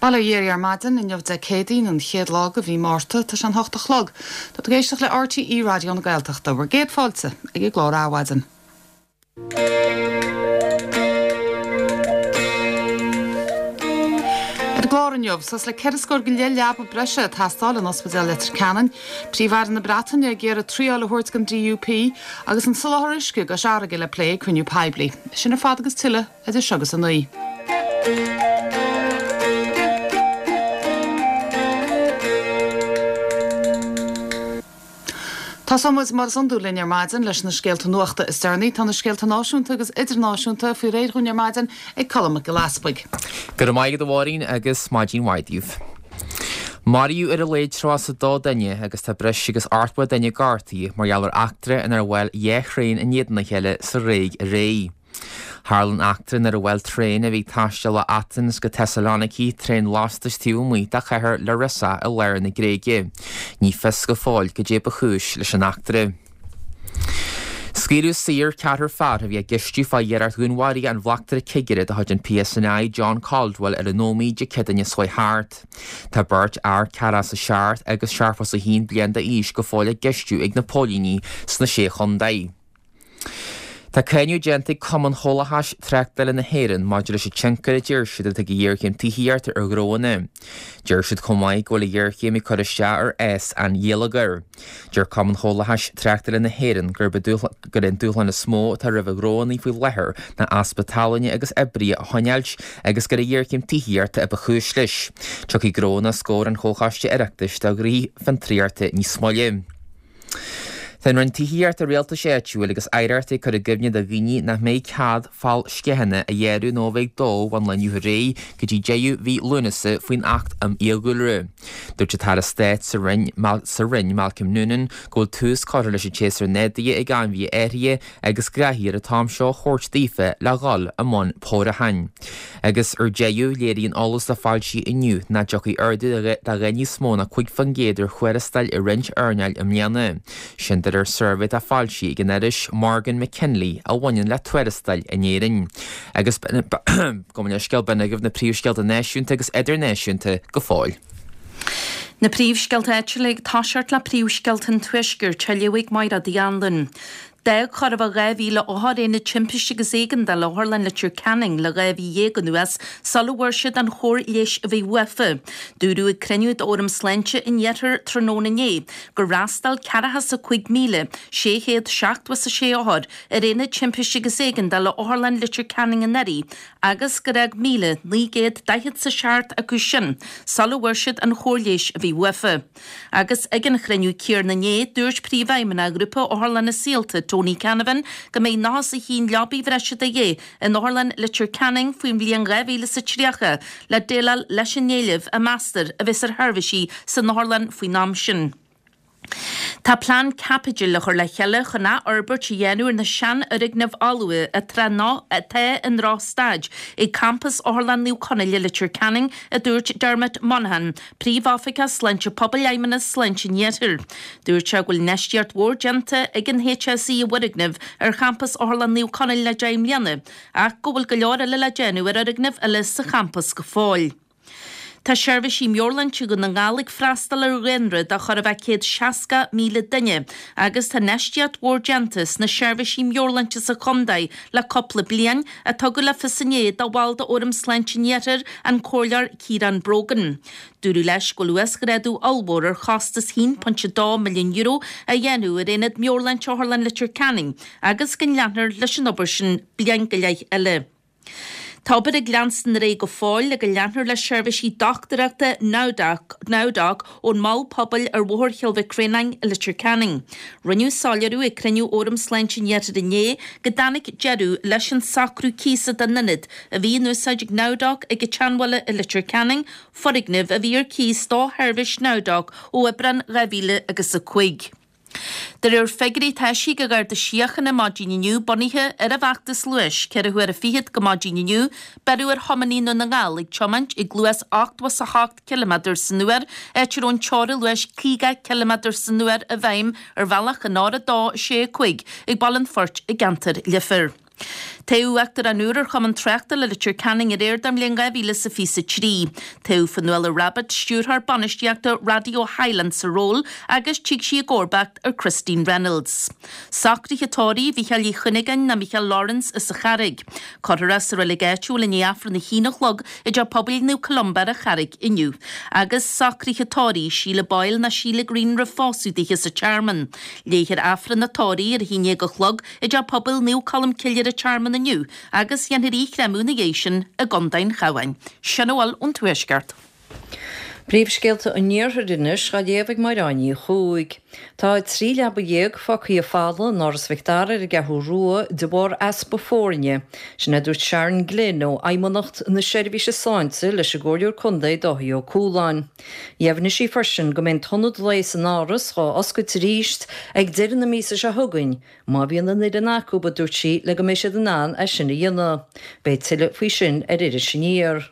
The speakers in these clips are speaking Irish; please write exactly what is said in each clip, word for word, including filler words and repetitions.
Bail ó Dhia oraibh ar maidin inniu Dé Céadaoin an chéad lá de mhí Márta tá sé an hocht a chlog. Tá tú ag éisteacht le RTÉ Raidió na Gaeltachta bhur gcéad fáilte ag an gclár Adhmhaidin. Ar an gclár inniu suas le ceithre scór go leith leaba breise ag teastáil in Ospidéal Leitir Ceanainn, Príomh-Aire na Breataine ag iarraidh triail a thabhairt don DUP agus an soláthar uisce i gCois Fharraige le plé ag cruinniú poiblí. Sin ar fad agus tuilleadh idir seo agus a naoi. Tosóidh muid mar is iondúil linn ar maidin leis na scéalta nuachta is deireanaí. Tá na scéalta náisiúnta agus idirnáisiúnta faoi réir dhúinn ar maidin ag Colm Mac Giolla Easpaig. Go raibh maith agat a Mháirín agus maidin mhaith daoibh. Maraíodh ar a laghad tríocha is a dó duine agus tá breis agus ochtó duine gortaithe mar gheall ar eachtra inar bhuail dhá thraein in éadan a chéile sa Ghréig aréir. Tharla an eachtra nuair a bhuail traein a bhí ag taisteal ó Athens go Thessaloniki traein lastais taobh amuigh de chathair Larissa i lár na Gréige. Ní fios go fóill goidé ba chúis leis an eachtra. Scaoileadh saor ceathrar fear a bhí á gceistiú fá iarracht dhúnmharaithe an bhleachtaire cigire de chuid an PSNI John Caldwell ar an Ómaigh Dé Céadaoine seo chuaigh thart. Tá beirt fhear ceathracha is a seacht agus seachtó is a haon bliain d'aois go fóill á gceistiú ag na póilíní sna Sé Chontae. Tá cáineadh déanta ag Cumann Chomhlachais Tráchtála na hÉireann maidir leis an tionchar a deir siad atá ag an ghéarchéim tithíochta ar ghnóanna. Deir siad chomh maith go bhfuil an ghéarchéim ag cur isteach ar fhás an gheilleagair. Deir Cumann Chomhlachais Tráchtála na hÉireann gurb é an dúshlán is mó atá roimh ghnóanna faoi láthair ná easpa tallainne agus oibrithe a choinneáilt agus gur an ghéarchéim tithíochta a ba chúis leis. Tiocfaidh gnóanna os comhair an Chomhchoiste Oireachtais do Ghnoithí Fiontraíochta níos moille. Tá an Roinn Tithíochta, Rialtais Áitiúil agus Oidhreachta ag cur i gcuimhne do dhaoine nach mbeidh cead fál sceithe a ghearradh nó a bheith ag dó ón lá inniu ar aghaidh go dtí deireadh mhí Lúnasa faoin Acht um Fhiadhúlra. Dúirt an tAire Stáit sa Roinn, sa Roinn, Malcolm Noonan, go bhfuil tús curtha leis an tséasúr neadaithe ag ainmhithe áirithe agus go gcaithfear an t-am seo a thabhairt daofa le dhul i mbun pórúcháin. Agus ar deireadh, léiríonn eolas atá foilsithe inniu nach dtiocfaidh ardú de dhath níos mó ná cúig faoin gcéad ar thuarastail i roinnt earnáil i mbliana. Sin de réir suirbhé atá foilsithe ag an iris Morgan McKinley a bhaineann le tuarastail in Éirinn. Agus gabh mo leithscéal, b'in agaibh na príomhscéalta náisiúnta agus idirnáisiúnta go fóill. Na príomhscéalta áitiúla ag toiseacht le príomhscéalta an Tuaiscirt, á léamh ag Mairéad Uí Anluain. D'fhág chóir a bheith dhá mhíle othar Aonad Timpiste agus Éigeandála Otharlann Leitir Ceanainn le dhá mhí dhéag anuas sula bhfuair siad an chóir leighis a bhí uafa. Dúradh ag cruinniú d'Fhóram Sláinte an Iarthair tráthnóna inné gur fhreastail ceathracha is a cúig míle sé chéad seachtó is a sé othar ar Aonad Timpiste agus Éigeandála Otharlann Leitir Ceanainn anuraidh agus gur fhág míle naoi gcéad daichead is a seacht acu sin sula bhfuair siad an chóir leighis a bhí uafa. Agus ag an chruinniú céanna inné, dúirt Príomhfheidhmeannach Ghrúpa Otharlanna Saolta, Tony Canavan, go mbeidh nócha is a haon leabaidh bhreise de dhíth in Otharlann Leitir Ceanainn faoin bhliain dhá mhíle is a tríocha le déileáil leis an éileamh a meastar a bheas ar sheirbhísí san otharlann faoin am sin. Tá plean caipitil á chur le chéile chun athfhorbairt a dhéanamh ar na seanfhoirgnimh fholmha atá i ndrochstaid ag campas Otharlann Naomh Conaill i Leitir Ceanainn, a dúirt Dermot Monaghan, Príomhoifigeach Sláinte Pobail Fheidhmeannas Sláinte an Iarthair. Dúirt sé go bhfuil infheistíocht mhór déanta ag an HSE i bhfoirgnimh ar champas Otharlann Naomh Conaill le deich mbliana ach go bhfuil go leor eile le déanamh ar fhoirgnimh eile sa champas go fóill. Tá seirbhísí meabhairshláinte Dhún na nGall ag freastal ar dhaonra de chóir a bheith céad seasca míle duine agus tá infheistíocht mhór déanta sna seirbhísí meabhairshláinte sa chontae le cúpla bliain, a tugadh le fios inné do bhall d'Fhóram Sláinte an Iarthair, an Comhairleoir Ciarán Brogan. Dúradh leis go bhfuil uasghrádú ollmhór ar chostas a haon pointe dó milliún euro á dhéanamh ar Aonad Meabhairshláinte Otharlann Leitir Ceanainn agus go leanfar leis an obair sin bliain go leith eile. Tá obair ag leanstan ar aghaidh go fóill le go leanfar le seirbhísí dochtúireachta NowDoc, NowDoc ón Mol Pobail ar Bhóthar Chill Mhic Réanáin i Leitir Ceanainn. Rinneadh soiléiriú ag cruinniú Fhóram Sláinte an Iarthair inné go dtáinig deireadh leis an socrú cíosa don ionad a bhí in úsáid ag NowDoc ag an tSeanbhaile i Leitir Ceanainn, foirgneamh a bhí ar cíos do sheirbhís NowDoc ó Aibreán dhá mhíle agus a cúig. De réir figiúirí atá eisithe ag an Gharda Síochána maidin inniu, bunaithe ar an bhfeachtas luais, ceithre huaire fichead go maidin inniu, beireadh ar thiománaí i nDún na nGall ag tiomáint ag luas ochtó is a hocht ciliméadar san uair, áit a raibh an teorainn luais caoga ciliméadar san uair i bhfeidhm ar bhealach an R a dó sé a cúig ag Baile an Phoirt i gceantar Leifear. Toghadh Uachtarán úr ar Chumann Tráchtála Leitir Ceanainn aréir don mbliain dhá mhíle is a fiche a trí. Toghadh Fionnuala Rabbitte, Stiúrthóir Bainistíochta Raidió Highland sa ról agus tig sí i gcomharbacht ar Christine Reynolds. Socruithe tórraimh Mhícheáil Uí Chuinneagáin nó Micheál Lawrence as an Charraig. Cuirfear é sa reilig áitiúil i ndiaidh Aifreann a haon a chlog i dTeach Pobail Naomh Columba ar an Charraig inniu. Agus socruithe tórraimh Síle Boyle nó Síle Green roimh phósadh dithe sa Tearmann. Léifear Aifreann an tórraimh ar a haon déag a chlog i dTeach Pobail Naomh Colm Cille ar an Tearmann inniu agus dhéanfar í a chréamadh ina dhiaidh sin i gContae an Chabháin. Sin a bhfuil ón Tuaisceart. Príomhscéalta an Iarthair anois á léamh ag Máire Ní Chuaig. Tá trí leaba dhéag fágtha folamh in Áras Mhic Dara ar an gCeathrú Rua de bharr easpa foirne. Sin a dúirt Sharon Glynn ó Fheidhmeannacht na Seirbhíse Sláinte leis an gComhairleoir Contae Dáithí Ó Cualáin. Dheimhnigh sí freisin go mbeidh an t-ionad lae san Áras dhá oscailt arís ag deireadh na míosa seo chugainn, má bhíonn an fhoireann acu, a dúirt sí, le go mbeidh siad in ann é sin a dhéanamh. Beidh tuilleadh faoi sin ar Iris Aniar.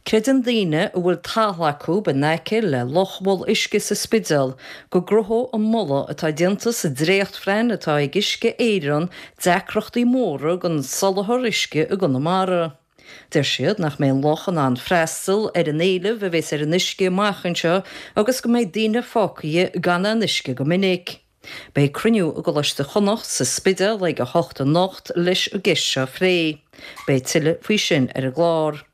Creideann daoine a bhfuil talamh acu in aice le loch mhol uisce sa Spidéal go gcruthódh an moladh atá déanta sa dréachtphlean atá ag Uisce Éireann deacrachtaí móra don soláthar uisce i gConamara. Deir siad nach mbeidh an loch in ann freastal ar an éileamh a bheas ar an uisce amach anseo agus go mbeidh daoine fágtha gan aon uisce go minic. Beidh cruinniú i gColáiste Chonnacht sa Spidéal ag a hocht anocht leis an gceist seo a phlé. Beidh tuilleadh faoi sin ar an gclár.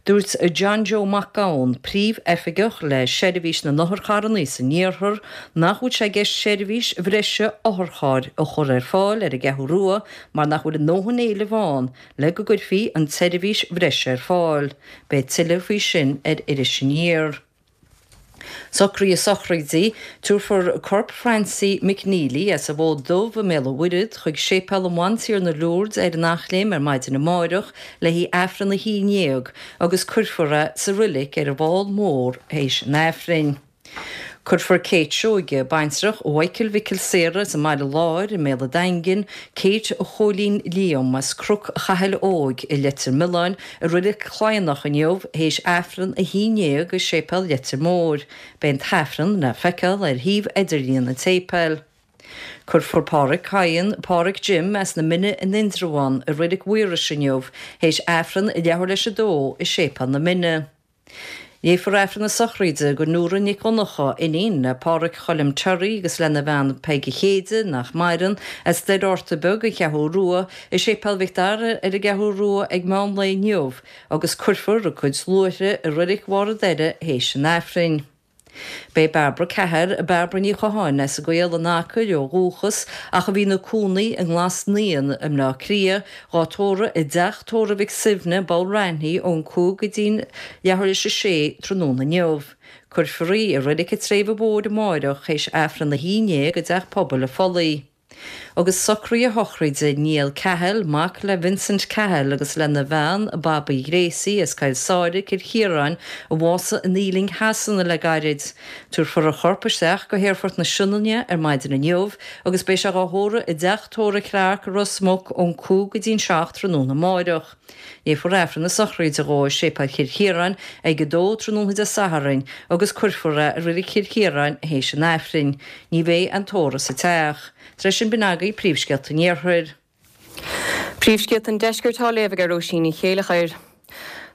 Dúirt John Joe Mac Gabhann, Príomh-Oifigeach le Seirbhís na nOtharcharranna san Iarthar, nach bhfuil sé i gceist seirbhís bhreise otharchairr a chur ar fáil ar an gCeathrú Rua mar nach bhfuil a ndóthain éilimh ann le go gcuirfí an tseirbhís bhreise ar fáil. Beidh tuilleadh faoi sin ar Iris Aniar. Socruithe sochraide, Tabharfar corp Francie McNeely as an bhFód Dubh i mBéal an Mhuirthead chuig Séipéal an Bhantiarna Lourdes ar an Eachléim ar maidin amáireach le haghaidh Aifreann a haon déag agus cuirfear é sa roilig ar an bhFál Mór théis an Aifrinn. Cuirfear Kate Seoige, baintreach Mhichael Mhicil Saoradh as an mBaile Láir i mBéal an Daingin, Kate Chóilín Liam as Cnoc Chathail Óig i Leitir Mealláin i Reilig Chladhnach inniu théis Aifreann a haon déag i Séipéal Leitir Móir. Beidh an tAifreann le feiceáil ar shuíomh idirlíon an tséipéil. Cuirfear Páraic Cadhain, Páraic Jim as na Mine in Indreabhán i Reilig Mhaorais inniu théis Aifreann leathuair leis a dó i Séipéal na Mine. Léifear Aifreann na sochraide do Nóra Nic Dhonncha, iníon le Páraic Choilm Terry agus lena bhean Peige Chéide, nach maireann, as Doire Fhorta Beag, An Cheathrú Rua, i Séipéal Mhic Dara ar an gCeathrú Rua ag meán lae inniu agus cuirfear a cuid luaithre i Reilig Bharr an Doire théis an Aifrinn. Beidh Bairbre Cahill, Bairbre Ní Chatháin as an gCaol in Acaill ó dhúchas ach a bhí ina cónaí i nGlas Naíon i mBleá Cliath, dhá tórramh i dteach tórraimh Mhic Suibhne, Bulranhy, ón cúig go dtí'n leathuair théis a sé tráthnóna inniu. Cuirfear í i Reilig an tSléibhe Mhóir amáireach théis Aifreann a haon déag i dTeach Pobail an Phollaigh. Agus socruithe sochraide Niall Cahill, mac le Vincent Cahill agus lena bhean, Babaí Ghracie, as Coill Sáile, Cill Chiaráin, a bhásaigh in Ealing Shasana le gairid. Tabharfar a chorp isteach go hAerfort na Sionainne ar maidin inniu agus beidh sé dhá thórramh i dTeach Tórraimh Clarke i Ros Muc ón cúig go dtí'n seacht tráthnóna amáireach. Léifear Aifreann na sochraide dhó i Séipéal Chill Chiaráin ag a dó tráthnóna Dé Sathairn agus cuirfear é i Reilig Chill Chiaráin théis an Aifrinn. Ní bheidh an tórramh sa teach. Tar éis sin b'in agaibh príomhscéalta an Iarthair. Príomhscéalta an Deiscirt á léamh ag Róisín Ní Chéileachair.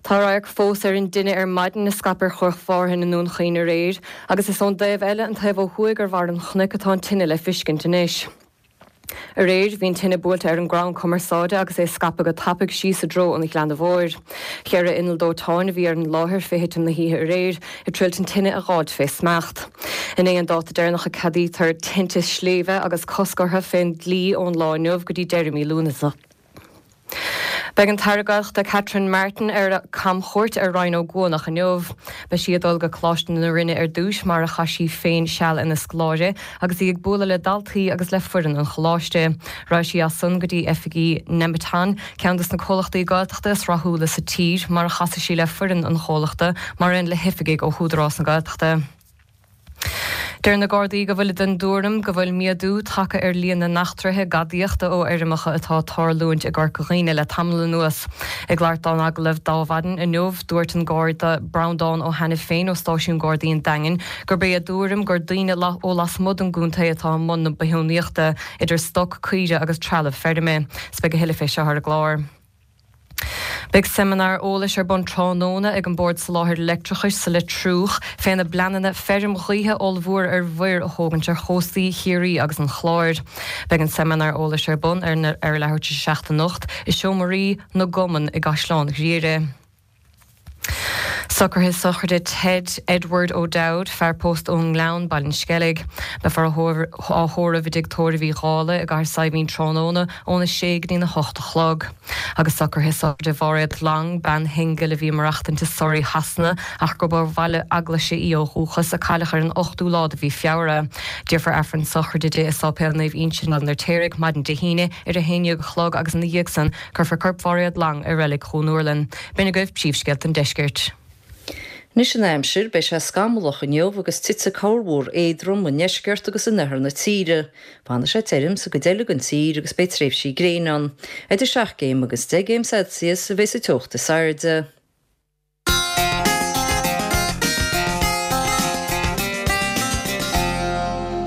Tá radharc fós ar an dtine ar maidin a scaip ar chnoc Mhárthain i nDún Chaoin aréir agus is ón dtaobh eile, an taobh ó thuaidh ar bharr an chnoic atá an tine le fiscint anois. Aréir, bhí an tine buailte ar an gcrann cumarsáide agus é ag scaipeadh go tapaidh síos i dtreo an Ghleanna Mhóir. Ceithre inneall dóiteáin a bhí ar an láthair fé thitim na hoíche aréir ag triailt an tine a dh'fháilt fé smacht. Inné an dáta deireanach a ceadaítear tinte sléibhe agus cosc orthu fén dlí ón lá inniu go dtí deireadh mí Lúnasa. Beidh an tAire Gaeltachta Catherine Martin ar camchuairt ar Rinn Ó gCuanach inniu. Beidh sí ag dul go Coláiste na Rinne ar dtús, mar a chaith sí féin seal ina scoláire, agus í ag bualadh le daltaí agus le foireann an choláiste. Raghaidh sí as san go dtí oifigí Nemeton, ceann dos na comhlachtaí Gaeltachta is rathúla sa tír, mar a chasfaidh sí le foireann an chomhlachta, mar aon le hoifigigh ó hÚdarás na Gaeltachta. Deir na Gardaí go bhfuil den tuairim go bhfuil méadú tagtha ar líon na n-eachtraithe gadaíochta ó fheirmeacha atá ag tarlúint i gCorca Dhuibhne le tamall anuas. Ag labhairt dó in agallamh d'Adhmhaidin inniu, dúirt an Garda Breandán Ó hAiniféin ó Stáisiún Gardaí an Daingin gurb é a dtuairim gur daoine ó lasmuigh den gcontae atá i mbun na bithiúnaíochta, idir stoc, caoire agus trealamh feirme. 'S beidh a thuilleadh fé seo ar an gclár. Beidh seimineár eolais ar bun tráthnóna ag an Bord Soláthair Leictreachais sa Leitriúch féna bpleananna feirm ghaoithe ollmhór ar mhuir a thógaint ar chóstaí Chiarraí agus an Chláir. Beidh an seimineár eolais ar bun ar ar leathuair tar éis a seacht anocht i Seomraí na gCumann i gCaisleán Ghriaire. Socruithe sochraide Ted Edward O'Dowd, fear pósta ón nGleann, Baile an Sceilg. Beifear á thórramh i dTigh Tórraimh Uí Dhálaigh i gCathair Saidhbhín tráthnóna óna sé go dtína hocht a chlog. Agus socruithe sochraide Mhairéad Long, bean shingil a bhí ag maireachtaint i Surrey Shasana ach gurb ó Bhaile Eaglaise í ó dhúchas, a cailleadh ar an ochtú lá de mhí Feabhra. Déarfar Aifreann sochraide di i Sáipéal Naomh Uinseann Baile an Fheirtéaraigh maidin Dé hAoine ar a haon déag a chlog agus ina dhiaidh san cuirfear corp Mhairéad Long i Reilig Dhún Úrlann. B'in agaibh príomhscéalta an deiscirt. Anois an aimsir, beidh sé scamallach inniu agus titfidh corrmhúr éadrom i ndeisceart agus in oirthear na tíre. Fanfaidh sé tirim sa gcuid eile den tír agus beidh tréimhsí gréine ann. Idir seacht gcéim agus deich gcéim Celsius a bheidh sa teocht is airde.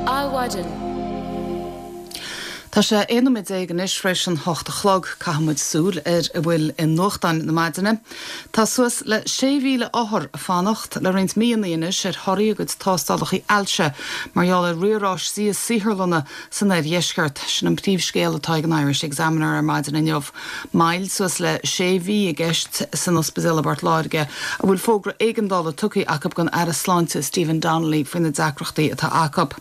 Adhmhaidin. Tá sé aon nóiméad déag anois tar éis an hocht a chlog. Caithfidh muid súil ar a bhfuil i nuachtáin na maidine. Tá suas le sé mhíle othar ag fanacht le roinnt míonna anois ar thorthaí a gcuid tástálacha ailse mar gheall ar riaráistí i saotharlanna san oirdheisceart. Sin an príomhscéal atá ag an Irish Examiner ar maidin inniu. Moill suas le sé mhí i gceist san ospidéal i bPort Láirge, a bhfuil fógra éigeandála tugtha acu don Aire Sláinte Stephen Donnelly faoi na deacrachtaí atá acu.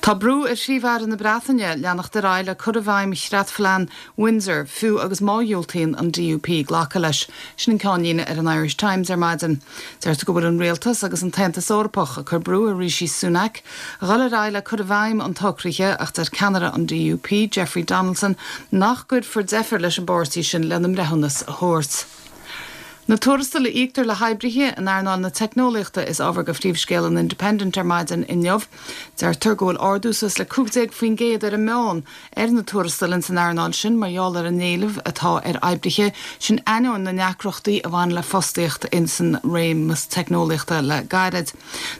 Tá brú ar Phríomh-Aire na Breataine leanacht ar aghaidh le cur i bhfeidhm Chreatphlean Windsor, fiú agus má dhiúltaíonn an D U P glacadh leis. Sin an ceannlíne ar an Irish Times ar maidin. Deirtear go bhfuil an rialtas agus an tAontas Eorpach ag cur brú ar Rishi Sunak a dhul ar aghaidh le cur i bhfeidhm an tsocraithe ach deir ceannaire an D U P, Jeffrey Donaldson, nach gcuirfear deifir leis an bpáirtí sin lena mbreithiúnas a thabhairt. Na tuarastail a íoctar le hoibrithe in earnáil na teicneolaíochta is ábhar do phríomhscéal an Independent ar maidin inniu. Deirtear go bhfuil ardú suas le cúig déag faoin gcéad ar an meán ar na tuarastail ins an earnáil sin mar gheall ar an éileamh atá ar oibrithe, sin ainneoin na ndeacrachtaí a bhain le fostaíocht ins an réimeas teicneolaíochta le gairid.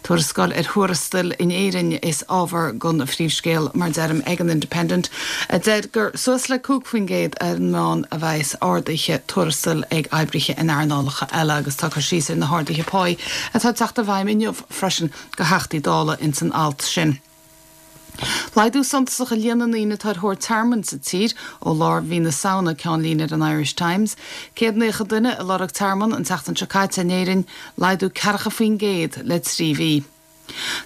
Tuarascáil ar thuarastail in Éirinn is ábhar don phríomhscéal, mar deirim, ag an Independent, a deir gur suas le cúig faoin gcéad ar an meán a bheas arduithe tuarastail ag oibrithe in earnálacha eile agus tá cur síos ar na harduithe páí atá ag teacht i bhfeidhm inniu freisin do Theachtaí Dála ins an alt sin. Laghdú suntasach i líon na ndaoine atá ar thóir tearmainn sa tír ó lár mhí na Samhna, ceannlíne ar an Irish Times. Céad naocha duine ag lorg tearmann an tseachtain seo caite in Éirinn, laghdú ceathracha faoin gcéad le trí mhí.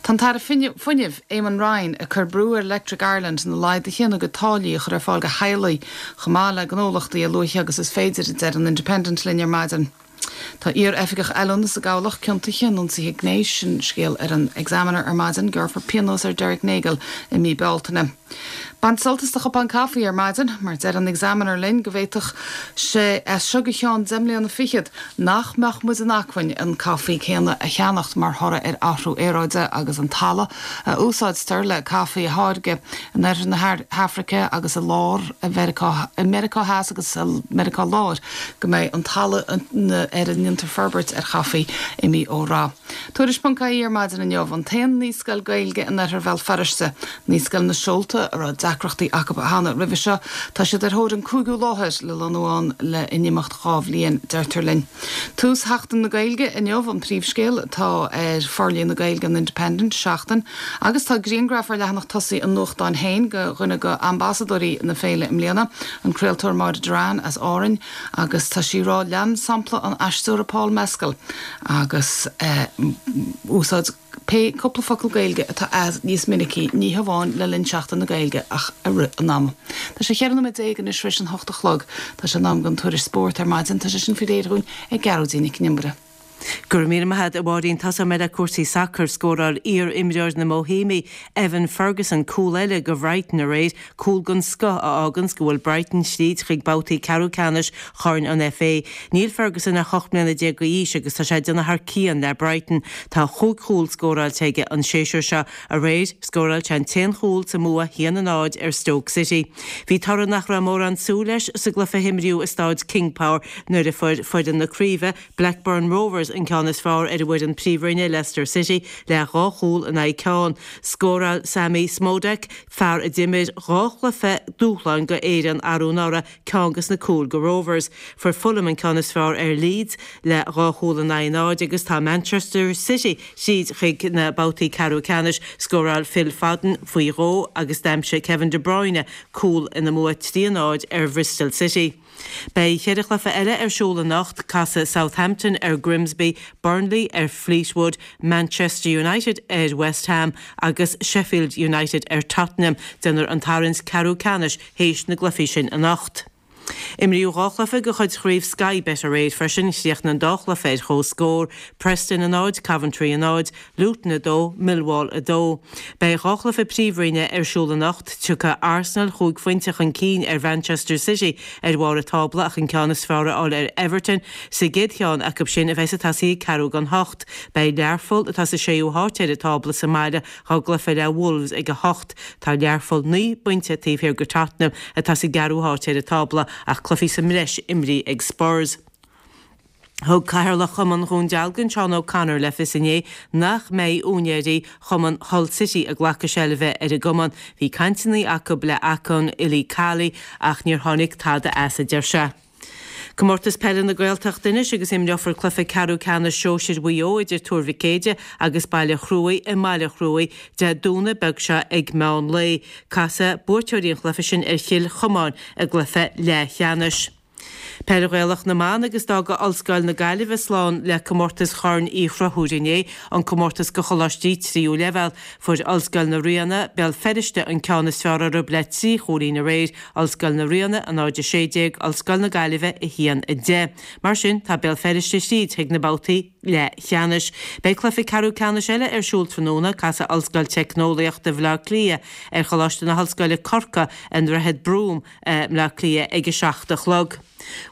Tá an tAire Fuinnimh, Eamon Ryan, ag cur brú ar Electric Ireland na laghduithe ina gcuid táillí a chur ar fáil do theaghlaigh chomh maith le gnólachtaí a luaithe agus is féidir, a deir an Independent linn ar maidin. Tá iar-oifigeach oiliúna sa gCabhlach ciontaithe in ionsaithe gnéis, sin scéal ar an Examiner ar maidin. Gearrfar pionós ar Derek Nagle i mí Bealtaine. Bain sult as do chupán caife ar maidin, mar deir an Examiner linn go bhféadfadh sé as seo go ceann deich mbliana fichead nach mbeadh muid in acmhainn an caife céanna a cheannacht mar thoradh ar athrú aeráide agus an talamh a úsáidtear le caife a tháirgeadh in oirthear na hAfraice agus i lár Mheiriceá, i Meiriceá Theas agus i Meiriceá Láir go mbeidh an talamh ar a ndéantar forbairt ar chaife imithe ó rath. Tuairisc ponc ie ar maidin inniu, an t-aon naíscoil Gaeilge in oirthear Bhéal Feirste, Naíscoil na Seolta, a raibh deacrachtaí acu cheana roimhe seo, tá siad ar thóir an cúigiú láthair le lonnú ann le in imeacht dhá bhliain, deirtear linn. Tús Sheachtain na Gaeilge inniu an príomhscéal atá ar forlíonadh Gaeilge an Independent, Seachtain, agus tá grianghraf ar leathanach tosaigh an nuachtáin féin de dhuine de ambasadóirí na féile i mbliana, an craoltóir Máire Doran as Árainn, agus tá sí ag rá lean sampla an aisteora Paul Mescal agus úsáid pé cúpla focal Gaeilge atá agat níos minicí, ní hamháin le linn Seachtain na Gaeilge ach i rith an ama. Tá sé cheithre nóiméad déag anois tar éis an hocht a chlog. Tá sé in am don tuairisc spóirt ar maidin. Tá sé sin faoi réir dhúinn ag Gearóidín Nic an Iomaire. Go raibh míle maith agat a Mháirín tosóidh mé le cúrsaí sacair scóráil iar-imreoir na mBoihéimigh Evan Ferguson cúl eile go Bhrighton aréir, cúl den scoth a fháganns go bhfuil Brighton tríd chuig babhtaí ceathrú ceannais Chorn an FA. Níl Ferguson ach ocht mbliana déag d'aois agus tá sé ag déanamh thar cionn le Brighton. Tá chúig chúl scóráilte aige an séasúr seo. Aréir, scóráil sé an t-aon chúl sa mbua a haon a náid ar Stoke City. Bhí toradh nach raibh mórán súil leis sa gcluiche a himríodh i Stáid King Power nuair a fuair foireann na craoibhe, Blackburn Rovers, an ceann is fearr ar an bhfoireann Príomhroinne, Leicester City, le dhá chúl in aghaidh ceann. Scóráil Sammy Szmodics, fear a d'imir dhá chluiche dúshláin go Éirinn arú anuraidh, ceann dos na cúil go Rovers. Fuair Fulham an ceann is fearr ar Leeds le dhá chúl in aghaidh náid agus tá Manchester City tríd chuig na babhtaí ceathrú ceannais. Scóráil Phil Foden faoi dhó agus d'aimsigh Kevin De Bruyne cúl ina mbua trí a náid ar Bhristol City. Beidh ceithre chluiche eile ar siúl anocht, casfaidh Southampton ar Grimsby, Burnley ar Fleetwood, Manchester United ar West Ham agus Sheffield United ar Tottenham. Déanfar an tarraingt ceathrú ceannais théis na gcluichí sin anocht. Imríodh dhá chluiche de chuid Chraobh Sky Bet aréir freisin, chríochnaigh an dá chluiche ar comhscór, Preston a náid, Coventry a náid, Luton a dó, Millwall a dó. Beidh dhá chluiche Príomhroinne ar siúl anocht, tiocfaidh Arsenal chúig phointe chun cinn ar Mhanchester City ar bharr an tábla ach an ceann is fearr a fháil ar Everton sa gcéad cheann acu sin a bheas ag tosaí ag ceathrú don hocht. Beidh Learpholl, atá sa séú háit ar an tábla, sa mbaile dhá gcluiche le Wolves ag a hocht. Tá Learpholl naoi bpointe taobh thiar de Tottenham atá sa gceathrú háit ar an tábla ach cluichí sa mbreis imrithe ag Spurs. Thug Cathaoirleach Chumann Dhún Dealgan, Seán O'Connor, le fios inné nach mbeidh úinéirí Chumann Hull City ag glacadh seilbhe ar an gcumann. Bhí cainteanna acu le Akon Ilicali ach níor tháinig tada as, a deir sé. Comórtas Peile na Gaeltachta anois agus imreofar cluiche ceathrú ceannais sóisir Mhaigh Eo idir Tuar Mhic Éide agus Baile Chruaich i mBaile Chruaich Dé Domhnaigh beag seo ag meán lae. Casfaidh buaiteoirí an chluiche sin ar Chill Chomáin i gcluiche leathcheannais. Peil Ghaelach na mBan agus d'fhága Ollscoil na Gaillimhe slán le comórtas Chorn Uí Chonchúir inné, an comórtas go choláistí tríú leibhéal. Fuair Ollscoil na Ríona, Béal Feirste an ceann is fearr orthu le trí chúilín aréir, Ollscoil na Ríona a náid a sé déag, Ollscoil na Gaillimhe a haon a deich. Mar sin, tá Béal Feirste tríd chuig na babhtaí leathcheannais. Beidh cluiche ceathrú ceannais eile ar siúl tráthnóna, casfaidh Ollscoil Teicneolaíochta Bhaile Átha Cliath ar Choláiste na hOllscoile Corcaigh i nDroichead Brougham i mBleá Cliath ag a seacht a chlog.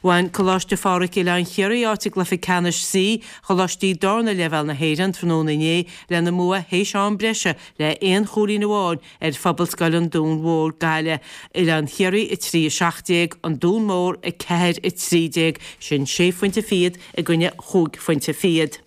Bhain Coláiste Phádraig Oileán Chiarraí áit i gcluiche ceannais C Choláistí Darna Leibhéal na hÉireann tráthnóna inné lena mbua théis am breise le aon chúilín amháin ar Phobalscoil an Dúin Mhóir, Gaillimh. Oileán Chiarraí a trí a seacht déag, An Dún Mór a ceathair a trí déag, sin sé phointe fichead i gcoinne chúig phointe fichead.